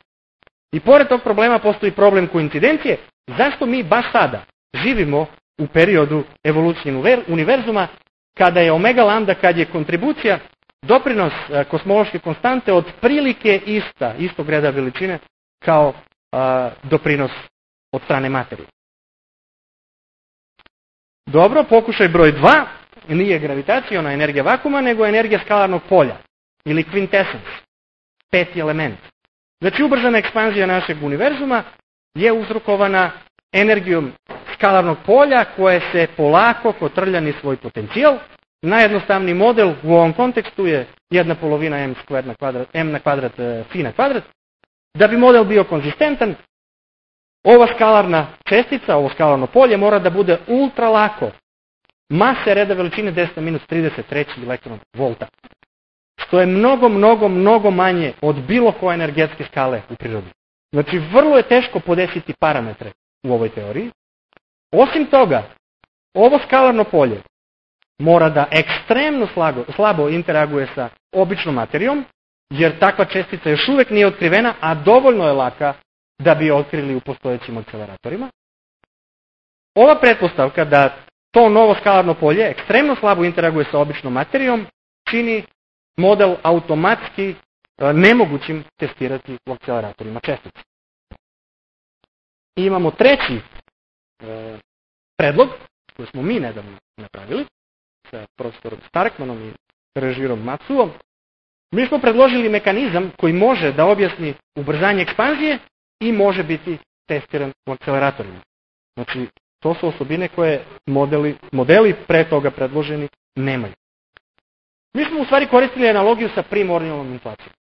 I pored tog problema postoji problem koincidencije. Zašto mi baš sada živimo u periodu evolucije univerzuma, kada je omega lambda, kad je kontribucija, doprinos a, kosmološke konstante od prilike ista, istog reda veličine, kao a, doprinos od strane materije. Dobro, pokušaj broj dva nije gravitaciona energija vakuma, nego energija skalarnog polja, ili quintessence, peti element. Znači, ubrzana ekspanzija našeg univerzuma je uzrokovana energijom skalarnog polja koje se polako kotrlja niz svoj potencijal. Najjednostavniji model u ovom kontekstu je jedna polovina m, na kvadrat, m na kvadrat phi na kvadrat. Da bi model bio konzistentan, ova skalarna čestica, ovo skalarno polje mora da bude ultra lako. Mase reda veličine deset na minus trideset tri elektron volta. Što je mnogo, mnogo, mnogo manje od bilo koje energetske skale u prirodi. Znači, vrlo je teško podesiti parametre u ovoj teoriji. Osim toga, ovo skalarno polje mora da ekstremno slago, slabo interaguje sa običnom materijom, jer takva čestica još uvijek nije otkrivena, a dovoljno je laka da bi je otkrili u postojećim akceleratorima. Ova pretpostavka da to novo skalarno polje ekstremno slabo interaguje sa običnom materijom čini model automatski nemogućim testirati u akceleratorima čestica. I imamo treći e, predlog koji smo mi nedavno napravili sa profesorom Starkmanom i režirom Matsuom. Mi smo predložili mekanizam koji može da objasni ubrzanje ekspanzije i može biti testiran u akceleratorima. Znači, to su osobine koje modeli, modeli pre toga predloženi nemaju. Mi smo u stvari koristili analogiju sa primordijalnom inflacijom.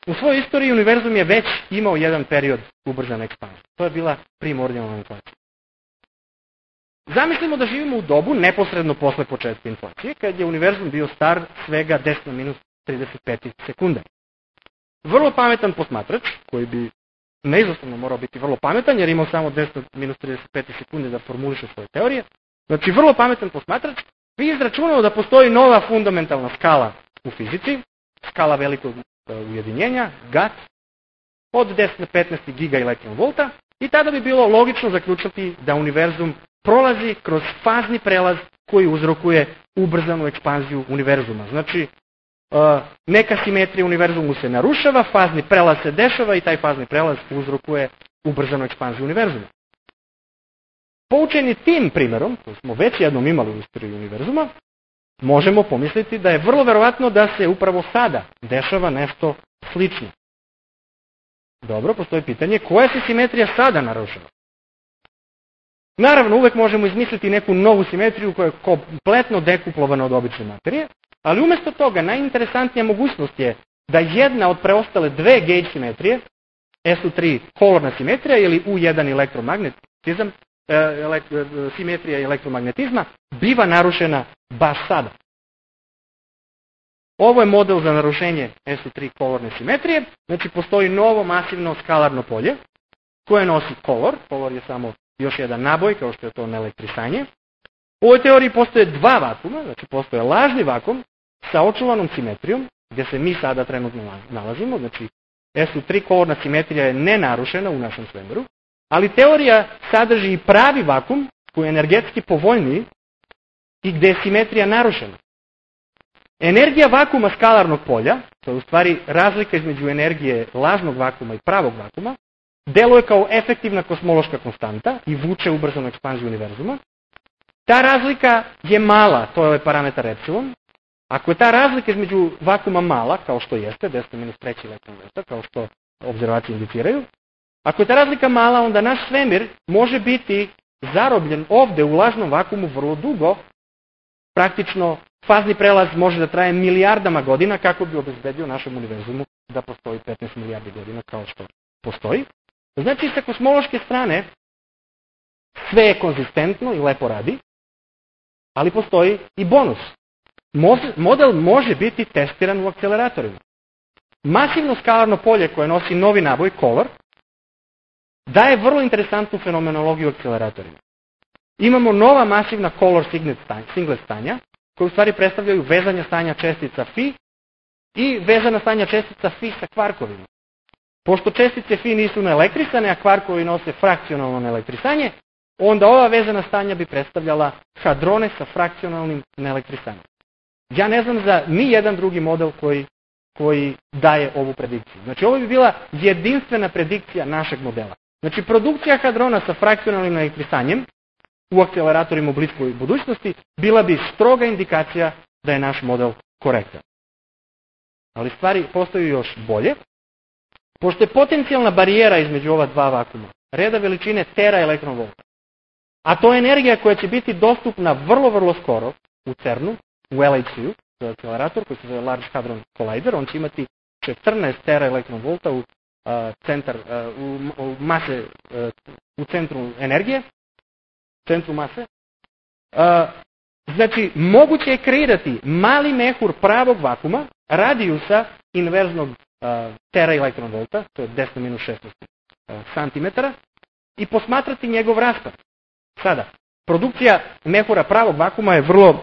U svojoj istoriji univerzum je već imao jedan period ubrzane ekspanzije. To je bila primordijalna inflacija. Zamislimo da živimo u dobu neposredno posle početka inflacije, kad je univerzum bio star svega deset na minus trideset pet sekunde. Vrlo pametan posmatrač, koji bi neizostavno morao biti vrlo pametan, jer imao samo deset na minus trideset pet sekunde da formuliše svoje teorije, znači vrlo pametan posmatrač bi izračunao da postoji nova fundamentalna skala u fizici, skala velikog ujedinjenja, gat, od deset na petnaest gigaelektronvolta, i tada bi bilo logično zaključiti da univerzum prolazi kroz fazni prelaz koji uzrokuje ubrzanu ekspanziju univerzuma. Znači, neka simetrija univerzumu se narušava, fazni prelaz se dešava i taj fazni prelaz uzrokuje ubrzanu ekspanziju univerzuma. Poučeni tim primjerom, koji smo već jednom imali u istoriji univerzuma, možemo pomisliti da je vrlo verovatno da se upravo sada dešava nešto slično. Dobro, postoji pitanje koja se simetrija sada narušava. Naravno, uvek možemo izmisliti neku novu simetriju koja je kompletno dekuplovana od obične materije, ali umjesto toga najinteresantnija mogućnost je da jedna od preostale dve gauge simetrije, S U tri kolorna simetrija ili U jedan elektromagnetizam, e, elekt, simetrija elektromagnetizma, biva narušena baš sada. Ovo je model za narušenje S U tri kolorne simetrije, znači postoji novo masivno skalarno polje koje nosi kolor, kolor je samo još jedan naboj kao što je to neelektrisanje. U ovoj teoriji postoje dva vakuma, znači postoje lažni vakum sa očuvanom simetrijom, gdje se mi sada trenutno nalazimo, znači S U tri kolorna simetrija je nenarušena u našem svemiru, ali teorija sadrži i pravi vakum koji je energetski povoljniji i gdje je simetrija narušena. Energija vakuma skalarnog polja, to je u stvari razlika između energije lažnog vakuma i pravog vakuma, deluje kao efektivna kosmološka konstanta i vuče ubrzanu ekspanziju univerzuma. Ta razlika je mala, to je parametar epsilon. Ako je ta razlika između vakuma mala, kao što jeste, deset na minus tri elektronvolta, kao što obzervacije indiciraju, ako je ta razlika mala, onda naš svemir može biti zarobljen ovde u lažnom vakumu vrlo dugo. Praktično, fazni prelaz može da traje milijardama godina kako bi obezbedio našem univerzumu da postoji petnaest milijardi godina kao što postoji. Znači, sa kosmološke strane, sve je konzistentno i lepo radi, ali postoji i bonus. Model može biti testiran u akceleratorima. Masivno skalarno polje koje nosi novi naboj, kolor, daje vrlo interesantnu fenomenologiju u akceleratorima. Imamo nova masivna color singlet stanja, koje u stvari predstavljaju vezanja stanja čestica Φ i vezana stanja čestica Φ sa kvarkovima. Pošto čestice Φ nisu naelektrisane, a kvarkovi nose frakcionalno naelektrisanje, onda ova vezana stanja bi predstavljala hadrone sa frakcionalnim naelektrisanjem. Ja ne znam za ni jedan drugi model koji, koji daje ovu predikciju. Znači, ovo bi bila jedinstvena predikcija našeg modela. Znači, produkcija hadrona sa frakcionalnim naelektrisanjem u akceleratorima u bliskoj budućnosti bila bi stroga indikacija da je naš model korektan. Ali stvari postaju još bolje. Pošto je potencijalna barijera između ova dva vakuma reda veličine tera elektronvolta, a to je energija koja će biti dostupna vrlo, vrlo skoro u CERN-u, u L H C-u, to je akcelerator koji se zove Large Hadron Collider, on će imati četrnaest tera elektronvolta u, uh, centar, uh, u, u mase, uh, u centru energije, centru mase. Uh, znači, moguće je kreirati mali mehur pravog vakuma, radijusa inverznog uh, tera elektronvolta, to je deset na minus šesnaest uh, santimetara, i posmatrati njegov raspad. Sada, produkcija mehura pravog vakuma je vrlo uh,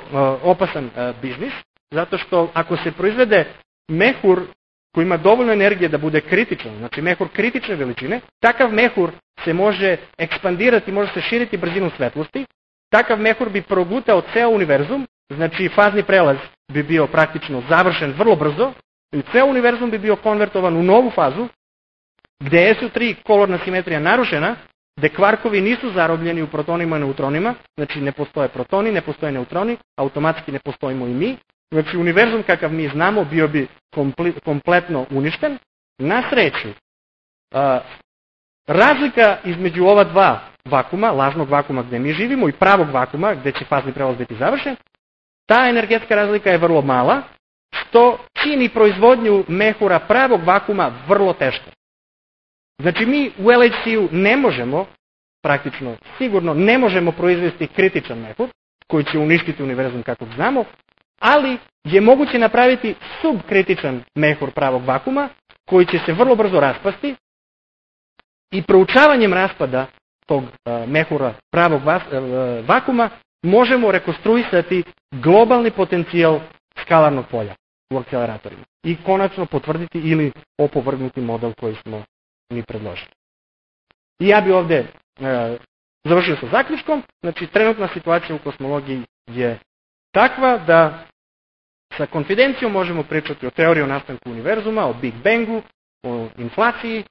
opasan uh, biznis, zato što ako se proizvede mehur koji ima dovoljno energije da bude kritičan, znači mehur kritične veličine, takav mehur se može ekspandirati, može se širiti brzinom svetlosti, takav mehur bi progutao ceo univerzum, znači fazni prelaz bi bio praktično završen vrlo brzo i ceo univerzum bi bio konvertovan u novu fazu, gde je S U tri kolorna simetrija narušena gde kvarkovi nisu zarobljeni u protonima i neutronima, znači ne postoje protoni, ne postoje neutroni, automatski ne postojimo i mi, znači univerzum kakav mi znamo bio bi kompletno uništen. Na sreću, razlika između ova dva vakuma, lažnog vakuma gde mi živimo i pravog vakuma gde će fazni prelaz biti završen, ta energetska razlika je vrlo mala, što čini proizvodnju mehura pravog vakuma vrlo teško. Znači mi u L H C-u ne možemo, praktično sigurno ne možemo proizvesti kritičan mehur koji će uništiti univerzum kako znamo, ali je moguće napraviti subkritičan mehur pravog vakuma koji će se vrlo brzo raspasti i proučavanjem raspada tog uh, mehura pravog vas, uh, vakuma možemo rekonstruisati globalni potencijal skalarnog polja u akceleratorima i konačno potvrditi ili opovrgnuti model koji smo mi predložili. I ja bi ovde uh, završio sa zaključkom, znači trenutna situacija u kosmologiji je takva da sa konfidencijom možemo pričati o teoriji o nastanku univerzuma, o Big Bangu, o inflaciji.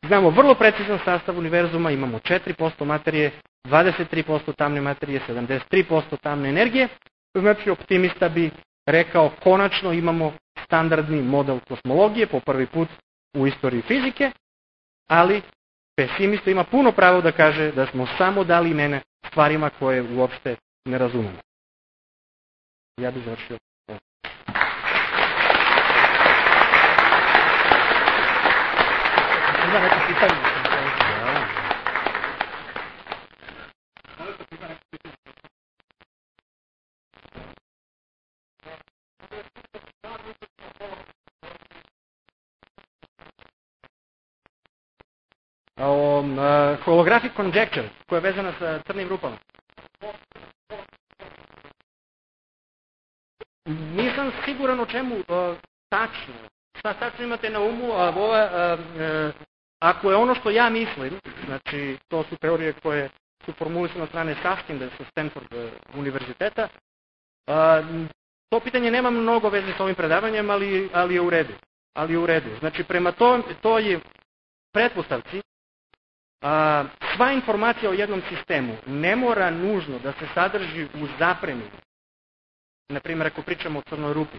Znamo vrlo precizan sastav univerzuma, imamo četiri posto materije, dvadeset tri posto tamne materije, sedamdeset tri posto tamne energije. Znači optimista bi rekao konačno imamo standardni model kosmologije po prvi put u istoriji fizike, ali pesimista ima puno pravo da kaže da smo samo dali imena stvarima koje uopšte ne razumemo. Ja bih završio. Ima neko pitanje? O um, uh, holographic conjecture, koja je vezana sa crnim rupama. Nisam siguran o čemu uh, tačno. Šta tačno imate na umu, a ova, uh, uh, ako je ono što ja mislim, znači to su teorije koje su formulisane od strane Susskinde sa Stanford uh, univerziteta, uh, to pitanje nema mnogo veze s ovim predavanjem, ali, ali je u redu. Ali je u redu. Znači prema to, to je pretpostavci, a, sva informacija o jednom sistemu ne mora nužno da se sadrži u zapremini. Naprimjer, ako pričamo o crnoj rupi,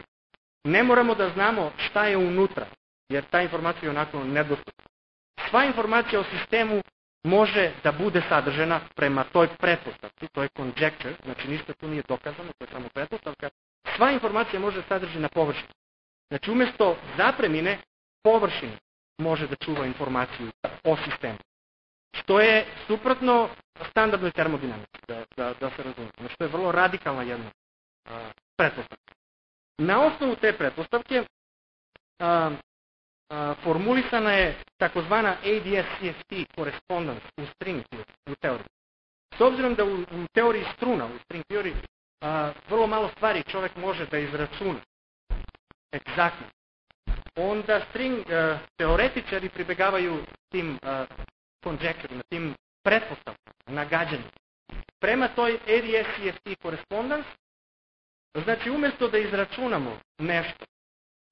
ne moramo da znamo šta je unutra, jer ta informacija je onako nedostupna. Sva informacija o sistemu može da bude sadržena prema toj pretpostavci, to je conjecture, znači ništa tu nije dokazano, to je samo pretpostavka. Sva informacija može sadržati na površini. Znači umjesto zapremine, površine može da čuva informaciju o sistemu. Što je suprotno standardnoj termodinamici, da, da, da se razumije. Znači to je vrlo radikalna jedna a, pretpostavka. Na osnovu te pretpostavke a, a, formulisana je takozvana A D S C F T correspondence u string u teoriji. S obzirom da u, u teoriji struna, u string teoriji, a, vrlo malo stvari čovjek može da izračuna egzaktno, onda string a, teoretičari pribegavaju tim a, conjecture, tim pretpostavkama, nagađanju. Prema toj A D S C F T correspondence, znači umjesto da izračunamo nešto,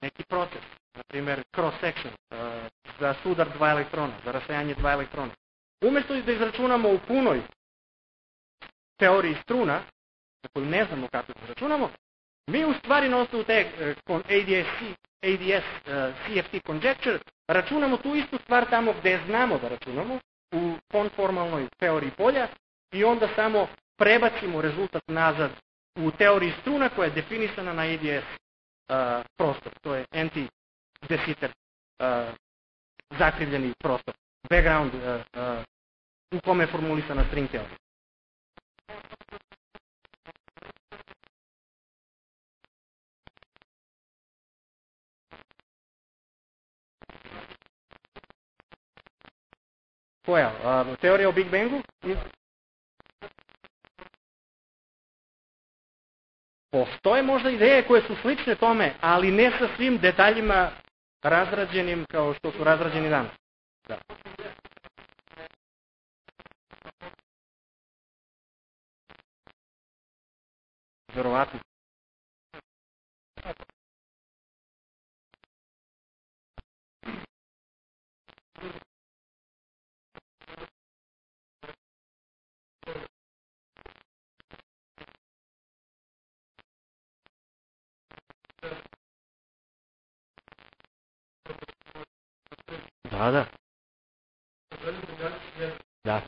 neki proces, na primjer cross section, uh, za sudar dva elektrona, za rasejanje dva elektrona, umjesto da izračunamo u punoj teoriji struna, na koju ne znamo kako da izračunamo, mi u stvari na osnovu te uh, A D S C, A D S uh, C F T conjecture računamo tu istu stvar tamo gde znamo da računamo, u konformalnoj teoriji polja, i onda samo prebacimo rezultat nazad u teoriji struna koja je definisana na A D S uh, prostor. To je anti-de Sitter uh, zakrivljeni prostor. Background uh, uh, u kome je formulisana string teorija. Koja? Uh, teorija o Big Bangu? Postoje možda ideje koje su slične tome, ali ne sa svim detaljima razrađenim kao što su razrađeni danas. Da. Verovatno. Da, da. Da.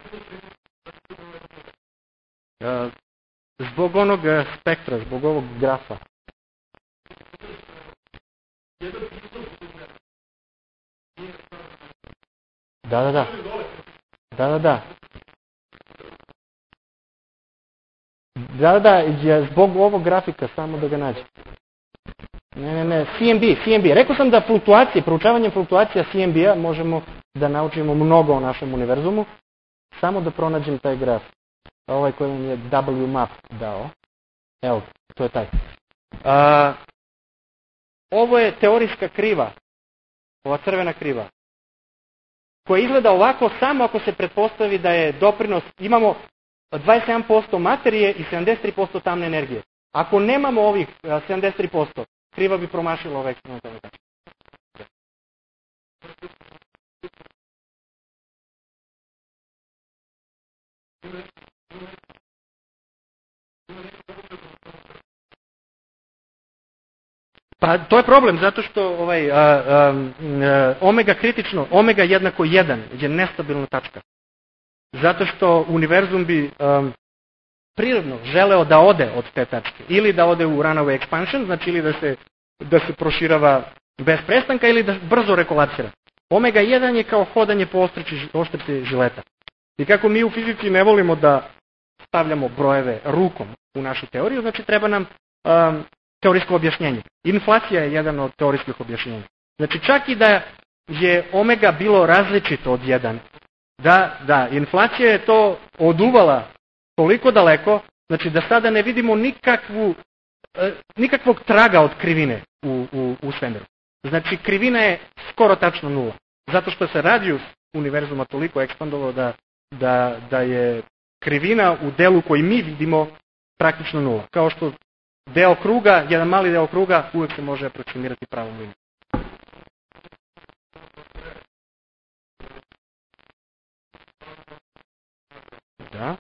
Uh, zbog onog spektra, zbog ovog grafa. Da, da, da. Da, da, da. Da, da, da, zbog ovog grafika, samo da ga nađem. Ne, ne, ne, C M B, C M B. Rekao sam da fluktuacije, proučavanjem fluktuacija C M B-a možemo da naučimo mnogo o našem univerzumu. Samo da pronađem taj graf. Ovaj koji nam je W map dao. Evo, to je taj. A, ovo je teorijska kriva. Ova crvena kriva. Koja izgleda ovako samo ako se pretpostavi da je doprinos, imamo dvadeset sedam posto materije i sedamdeset tri posto tamne energije. Ako nemamo ovih sedamdeset tri posto, kriva bi promašila ove eksperimentalne tačke. Pa to je problem, zato što ovaj, a, a, a, omega kritično, omega jednako jedan je nestabilna tačka. Zato što univerzum bi a, prirodno želeo da ode od te tačke. Ili da ode u runaway expansion, znači ili da se, da se proširava bez prestanka ili da brzo rekolapsira. Omega jedan je kao hodanje po oštrici žileta. I kako mi u fizici ne volimo da stavljamo brojeve rukom u našu teoriju, znači treba nam um, teorijsko objašnjenje. Inflacija je jedan od teorijskih objašnjenja. Znači čak i da je omega bilo različito od jedan, da, da, inflacija je to oduvala toliko daleko, znači da sada ne vidimo nikakvu, nikakvog traga od krivine u, u, u svemiru. Znači krivina je skoro tačno nula. Zato što se radijus univerzuma toliko ekspandovao da, da, da je krivina u delu koji mi vidimo praktično nula. Kao što deo kruga, jedan mali deo kruga uvijek se može aproksimirati pravom linijom. Da.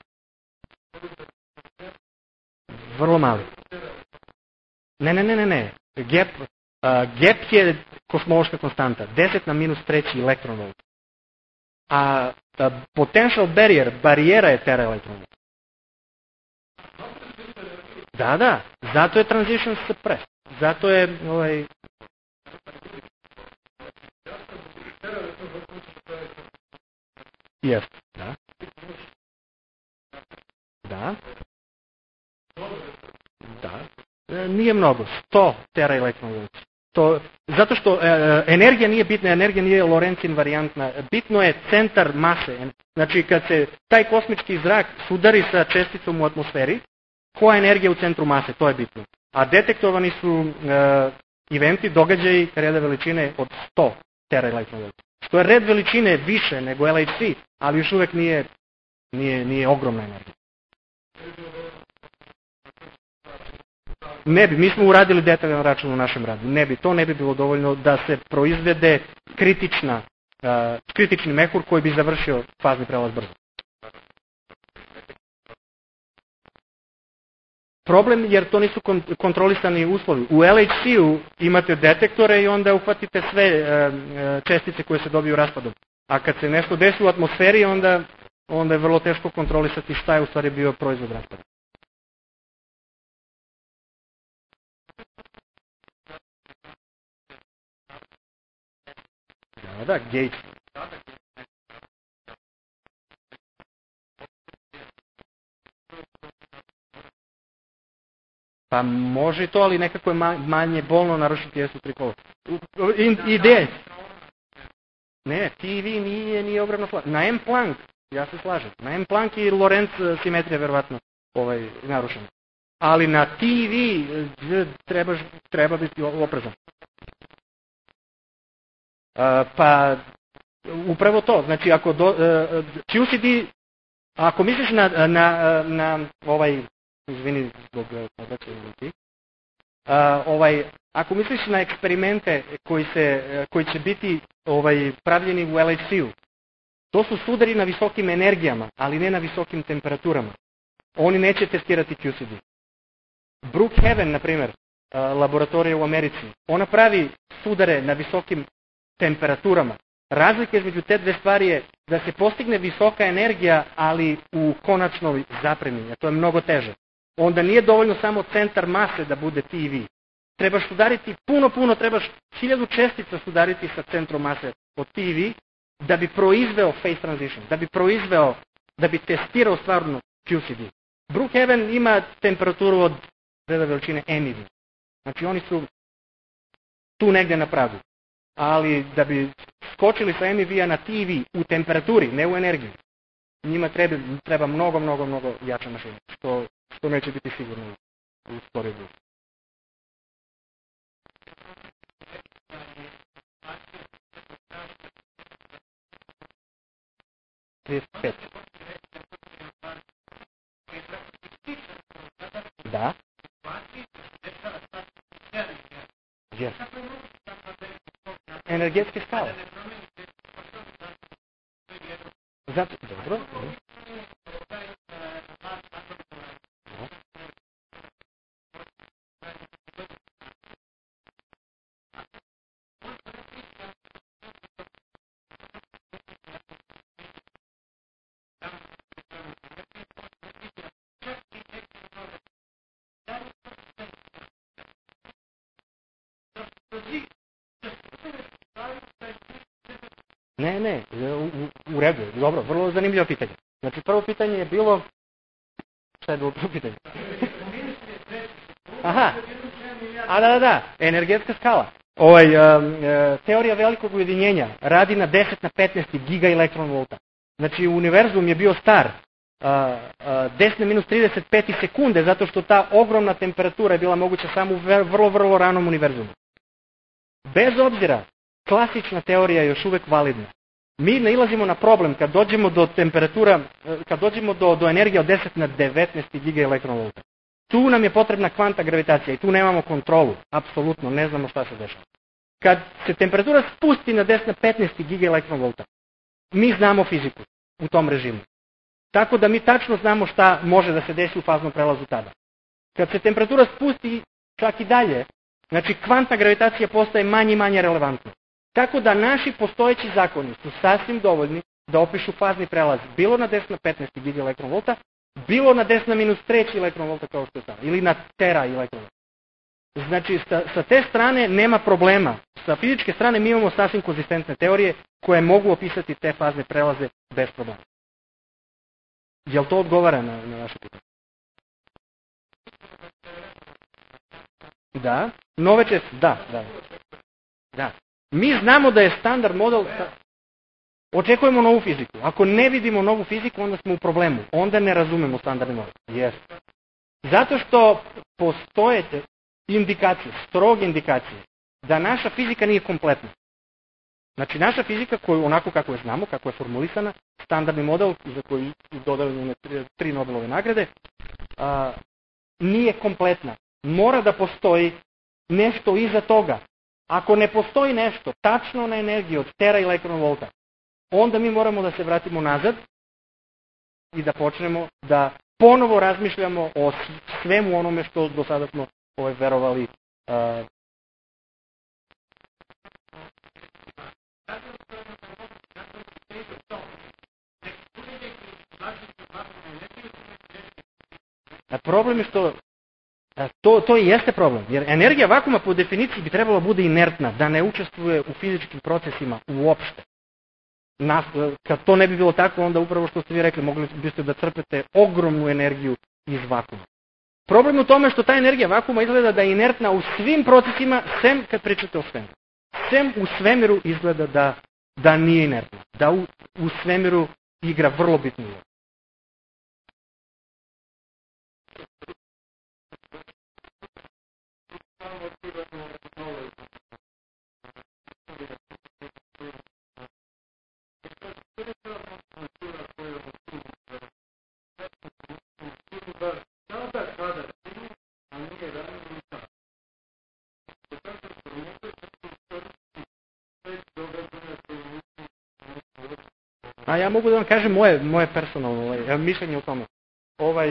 Vrlo mali. Ne, ne, ne, ne, ne. Gap, uh, gap je kosmološka konstanta. deset na minus treći elektronvolt. A uh, potential barrier, barijera je tera elektronvolt. Da, da. Zato je transition suppressed. Zato je ovaj... Jest, da. Da. Da. E, nije mnogo. sto tera elektronvolt. To, zato što e, energija nije bitna, energija nije Lorentz invariantna. Bitno je centar mase. Znači kad se taj kosmički zrak sudari sa česticom u atmosferi, koja je energija u centru mase, to je bitno. A detektovani su e, eventi, događaji reda veličine od sto tera elektronvolt. Što je red veličine više nego L H C, ali još uvijek nije, nije, nije ogromna energija. Ne bi, mi smo uradili detaljan račun u našem radu. Ne bi, to ne bi bilo dovoljno da se proizvede kritična, uh, kritični mehur koji bi završio fazni prelaz brzo. Problem jer to nisu kontrolisani uslovi. U L H C-u imate detektore i onda uhvatite sve uh, čestice koje se dobiju raspadom. A kad se nešto desi u atmosferi, onda, onda je vrlo teško kontrolisati šta je u stvari bio proizvod raspada. Da, da, Gates. Pa može to, ali nekako je manje bolno narušiti jesu trikolo. Ideje. Ne, T V nije, nije ogromno slažen. Na M Planck, ja se slažem. Na M Planck i Lorentz simetrija verovatno ovaj, narušena. Ali na T V treba, treba biti oprezan. Uh, pa upravo to, znači ako do, uh, Q C D, ako misliš na, na, na ovaj, izvini zbog uh, ovaj, ako misliš na eksperimente koji, se, koji će biti ovaj, pravljeni u L H C-u, to su sudari na visokim energijama, ali ne na visokim temperaturama. Oni neće testirati Q C D. Brookhaven, na primjer, uh, laboratorija u Americi, ona pravi sudare na visokim temperaturama, Razlika između te dve stvari je da se postigne visoka energija, ali u konačnoj zapremini, a to je mnogo teže. Onda nije dovoljno samo centar mase da bude T V. Trebaš sudariti puno, puno, trebaš hiljadu čestica sudariti sa centrom mase od T V da bi proizveo phase transition, da bi proizveo, da bi testirao stvarno Q C D. Brookhaven ima temperaturu od reda veličine M I V. Znači oni su tu negde na pragu. Ali da bi skočili sa M I V-a na T V u temperaturi, ne u energiji, njima treba, treba mnogo, mnogo, mnogo jača mašina, što, što neće biti sigurno u skoroj budućnosti. trideset pet. Da. Yes. Energetske skale. Zato, dobro. Ne, ne, u, u redu, dobro, vrlo zanimljivo pitanje. Znači, prvo pitanje je bilo... Šta je bilo prvo pitanje? Aha, a da, da, da, energetska skala. Ovaj, um, teorija velikog ujedinjenja radi na deset na petnaest giga elektron volta. Znači, univerzum je bio star uh, uh, deset na minus trideset pet sekunde, zato što ta ogromna temperatura je bila moguća samo u vrlo, vrlo ranom univerzumu. Bez obzira, klasična teorija je još uvek validna. Mi nailazimo na problem kad dođemo do temperatura, kad dođemo do, do energije od deset na devetnaest giga elektron volta. Tu nam je potrebna kvanta gravitacija i tu nemamo kontrolu. Apsolutno, ne znamo šta se dešava. Kad se temperatura spusti na deset na petnaest giga elektron volta, mi znamo fiziku u tom režimu. Tako da mi tačno znamo šta može da se desi u faznom prelazu tada. Kad se temperatura spusti čak i dalje, znači kvantna gravitacija postaje manje i manje relevantna. Tako da naši postojeći zakoni su sasvim dovoljni da opišu fazni prelaz bilo na deset na petnaest giga elektron volta, bilo na deset na minus tri elektron volta kao što je sada, ili na tera elektron volta. Znači, sa, sa te strane nema problema. Sa fizičke strane mi imamo sasvim konzistentne teorije koje mogu opisati te fazne prelaze bez problema. Jel to odgovara na, na vaše pitanje? Da. Nove čestice? Da, da. Da. Mi znamo da je standard model, očekujemo novu fiziku. Ako ne vidimo novu fiziku, onda smo u problemu. Onda ne razumemo standardni model. Yes. Zato što postoje indikacije, stroge indikacije, da naša fizika nije kompletna. Znači, naša fizika, koju onako kako je znamo, kako je formulisana, standardni model, za koji su dodeljene tri Nobelove nagrade, a, nije kompletna. Mora da postoji nešto iza toga. Ako ne postoji nešto tačno na energiju od tera elektron volta, onda mi moramo da se vratimo nazad i da počnemo da ponovo razmišljamo o svemu onome što do sada smo ovaj, verovali. Uh, problem je što To, to i jeste problem, jer energija vakuma po definiciji bi trebalo bude inertna, da ne učestvuje u fizičkim procesima uopšte. Nas, kad to ne bi bilo tako, onda upravo što ste vi rekli, mogli biste da crpete ogromnu energiju iz vakuma. Problem je u tome što ta energija vakuma izgleda da je inertna u svim procesima, sem kad pričate o svemiru. Sem u svemiru izgleda da, da nije inertna, da u, u svemiru igra vrlo bitnu ulogu. A ja mogu da vam kažem moje, moje personalno ovaj, mišljenje o tome. Ovaj,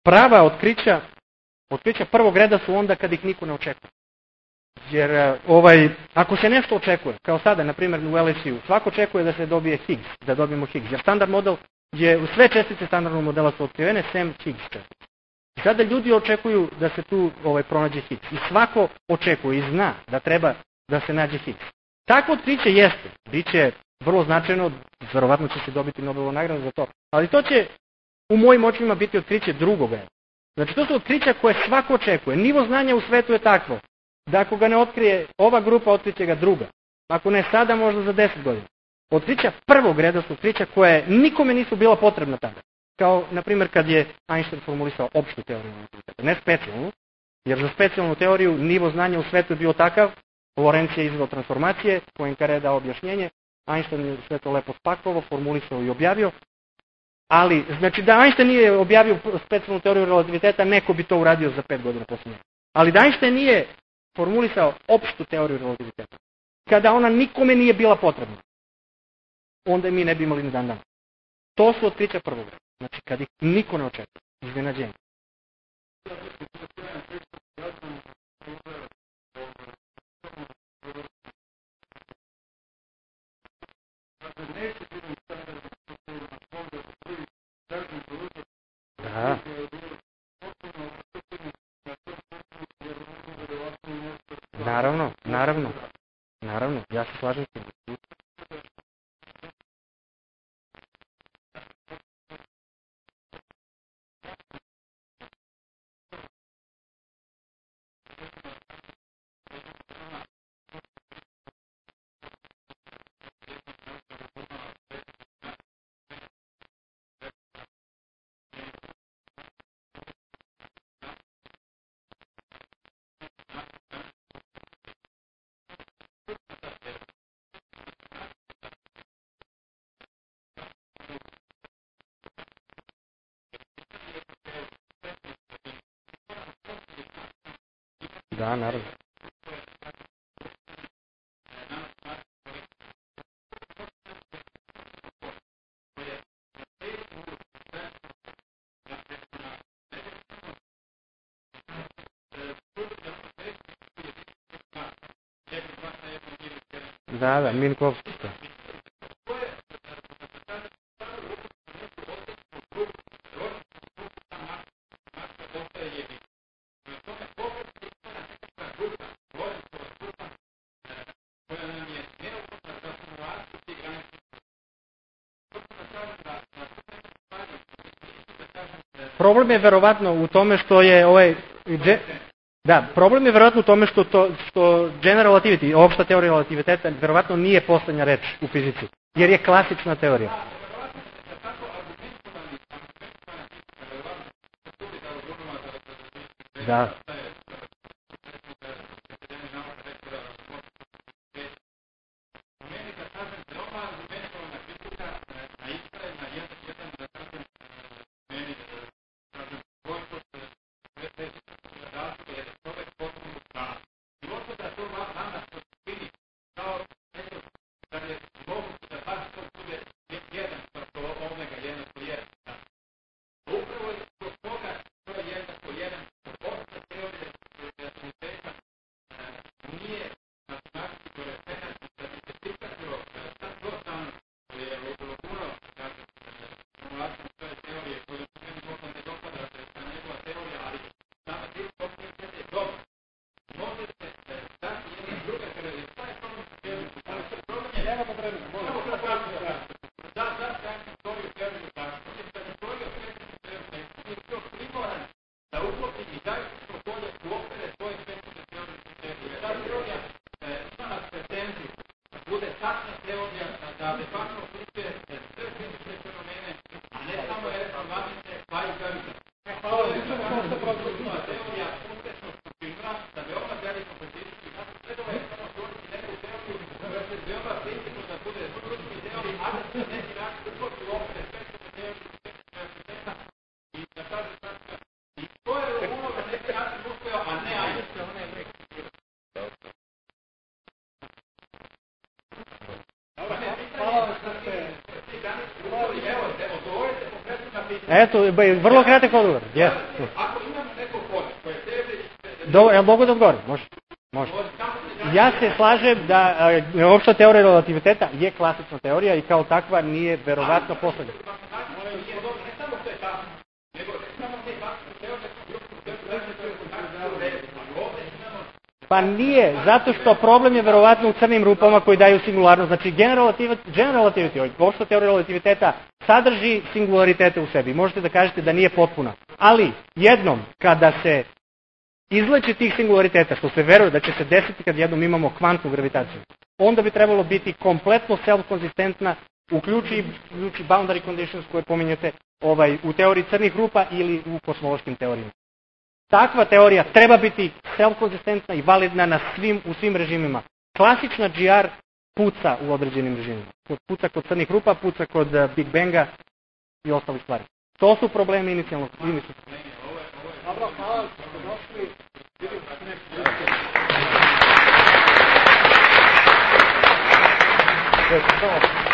prava otkrića, otkrića prvog reda su onda kad ih niko ne očekuje. Jer ovaj, ako se nešto očekuje, kao sada, na primjer u L S U, svako očekuje da se dobije Higgs, da dobijemo Higgs, jer standard model je, sve čestice standardnog modela su otkrivene, sem Higgs čestice. I sada ljudi očekuju da se tu ovaj, pronađe Higgs. I svako očekuje i zna da treba da se nađe Higgs. Takvo otkriće jeste, bit će vrlo značajno, verovatno će se dobiti Nobelovu nagradu za to, ali to će u mojim očima biti otkriće drugoga. Znači to su otkrića koje svako očekuje. Nivo znanja u svetu je takvo da ako ga ne otkrije ova grupa, otkriće ga druga. Ako ne sada, možda za deset godina. Otkrića prvog reda su otkrića koje nikome nisu bila potrebna tada. Kao, na primjer, kad je Einstein formulisao opštu teoriju relativiteta, ne specijalnu, jer za specijalnu teoriju nivo znanja u svetu je bio takav, Lorentz je izveo transformacije, Poincaré je dao objašnjenje, Einstein je sve to lepo spakovao, formulisao i objavio, ali, znači da Einstein nije objavio specijalnu teoriju relativiteta, neko bi to uradio za pet godina poslije njega. Ali da Einstein nije formulisao opštu teoriju relativiteta, kada ona nikome nije bila potrebna, onda mi ne bi imali ni dan dan. To su otkrića prvog reda. Znači, kad ih niko ne očekuje, iznenađenje. Da. Naravno, naravno, naravno, ja se slažem s tim. Da, naravno. Da, da, Minkowski. Problem je verovatno u tome što je ovaj da, problem je verovatno u tome što to što general relativity, opšta teorija relativiteta verovatno nije poslednja reč u fizici, jer je klasična teorija. Da. Eto, vrlo kratak odgovor. Yes. Ako imamo neko polje koje teže... Dobro, ja mogu da odgovorim? Može. Može. ja se slažem da uh, opšta teorija relativiteta je klasična teorija i kao takva nije verovatno poslednja. Pa nije, zato što problem je verovatno u crnim rupama koji daju singularnost. Znači, general relativity, opšta teorija relativiteta sadrži singularitete u sebi. Možete da kažete da nije potpuna. Ali, jednom, kada se izleči tih singulariteta, što se veruje da će se desiti kad jednom imamo kvantnu gravitaciju, onda bi trebalo biti kompletno self-konzistentna, uključi, uključi boundary conditions koje pominjete ovaj, u teoriji crnih rupa ili u kosmološkim teorijama. Takva teorija treba biti self-konzistentna i validna na svim, u svim režimima. Klasična G R puca u određenim režimima. Puca kod crnih rupa, puca kod Big Banga i ostalih stvari. To su problemi inicijalnog. Dobro, hvala što ste došli. Vidim se neki.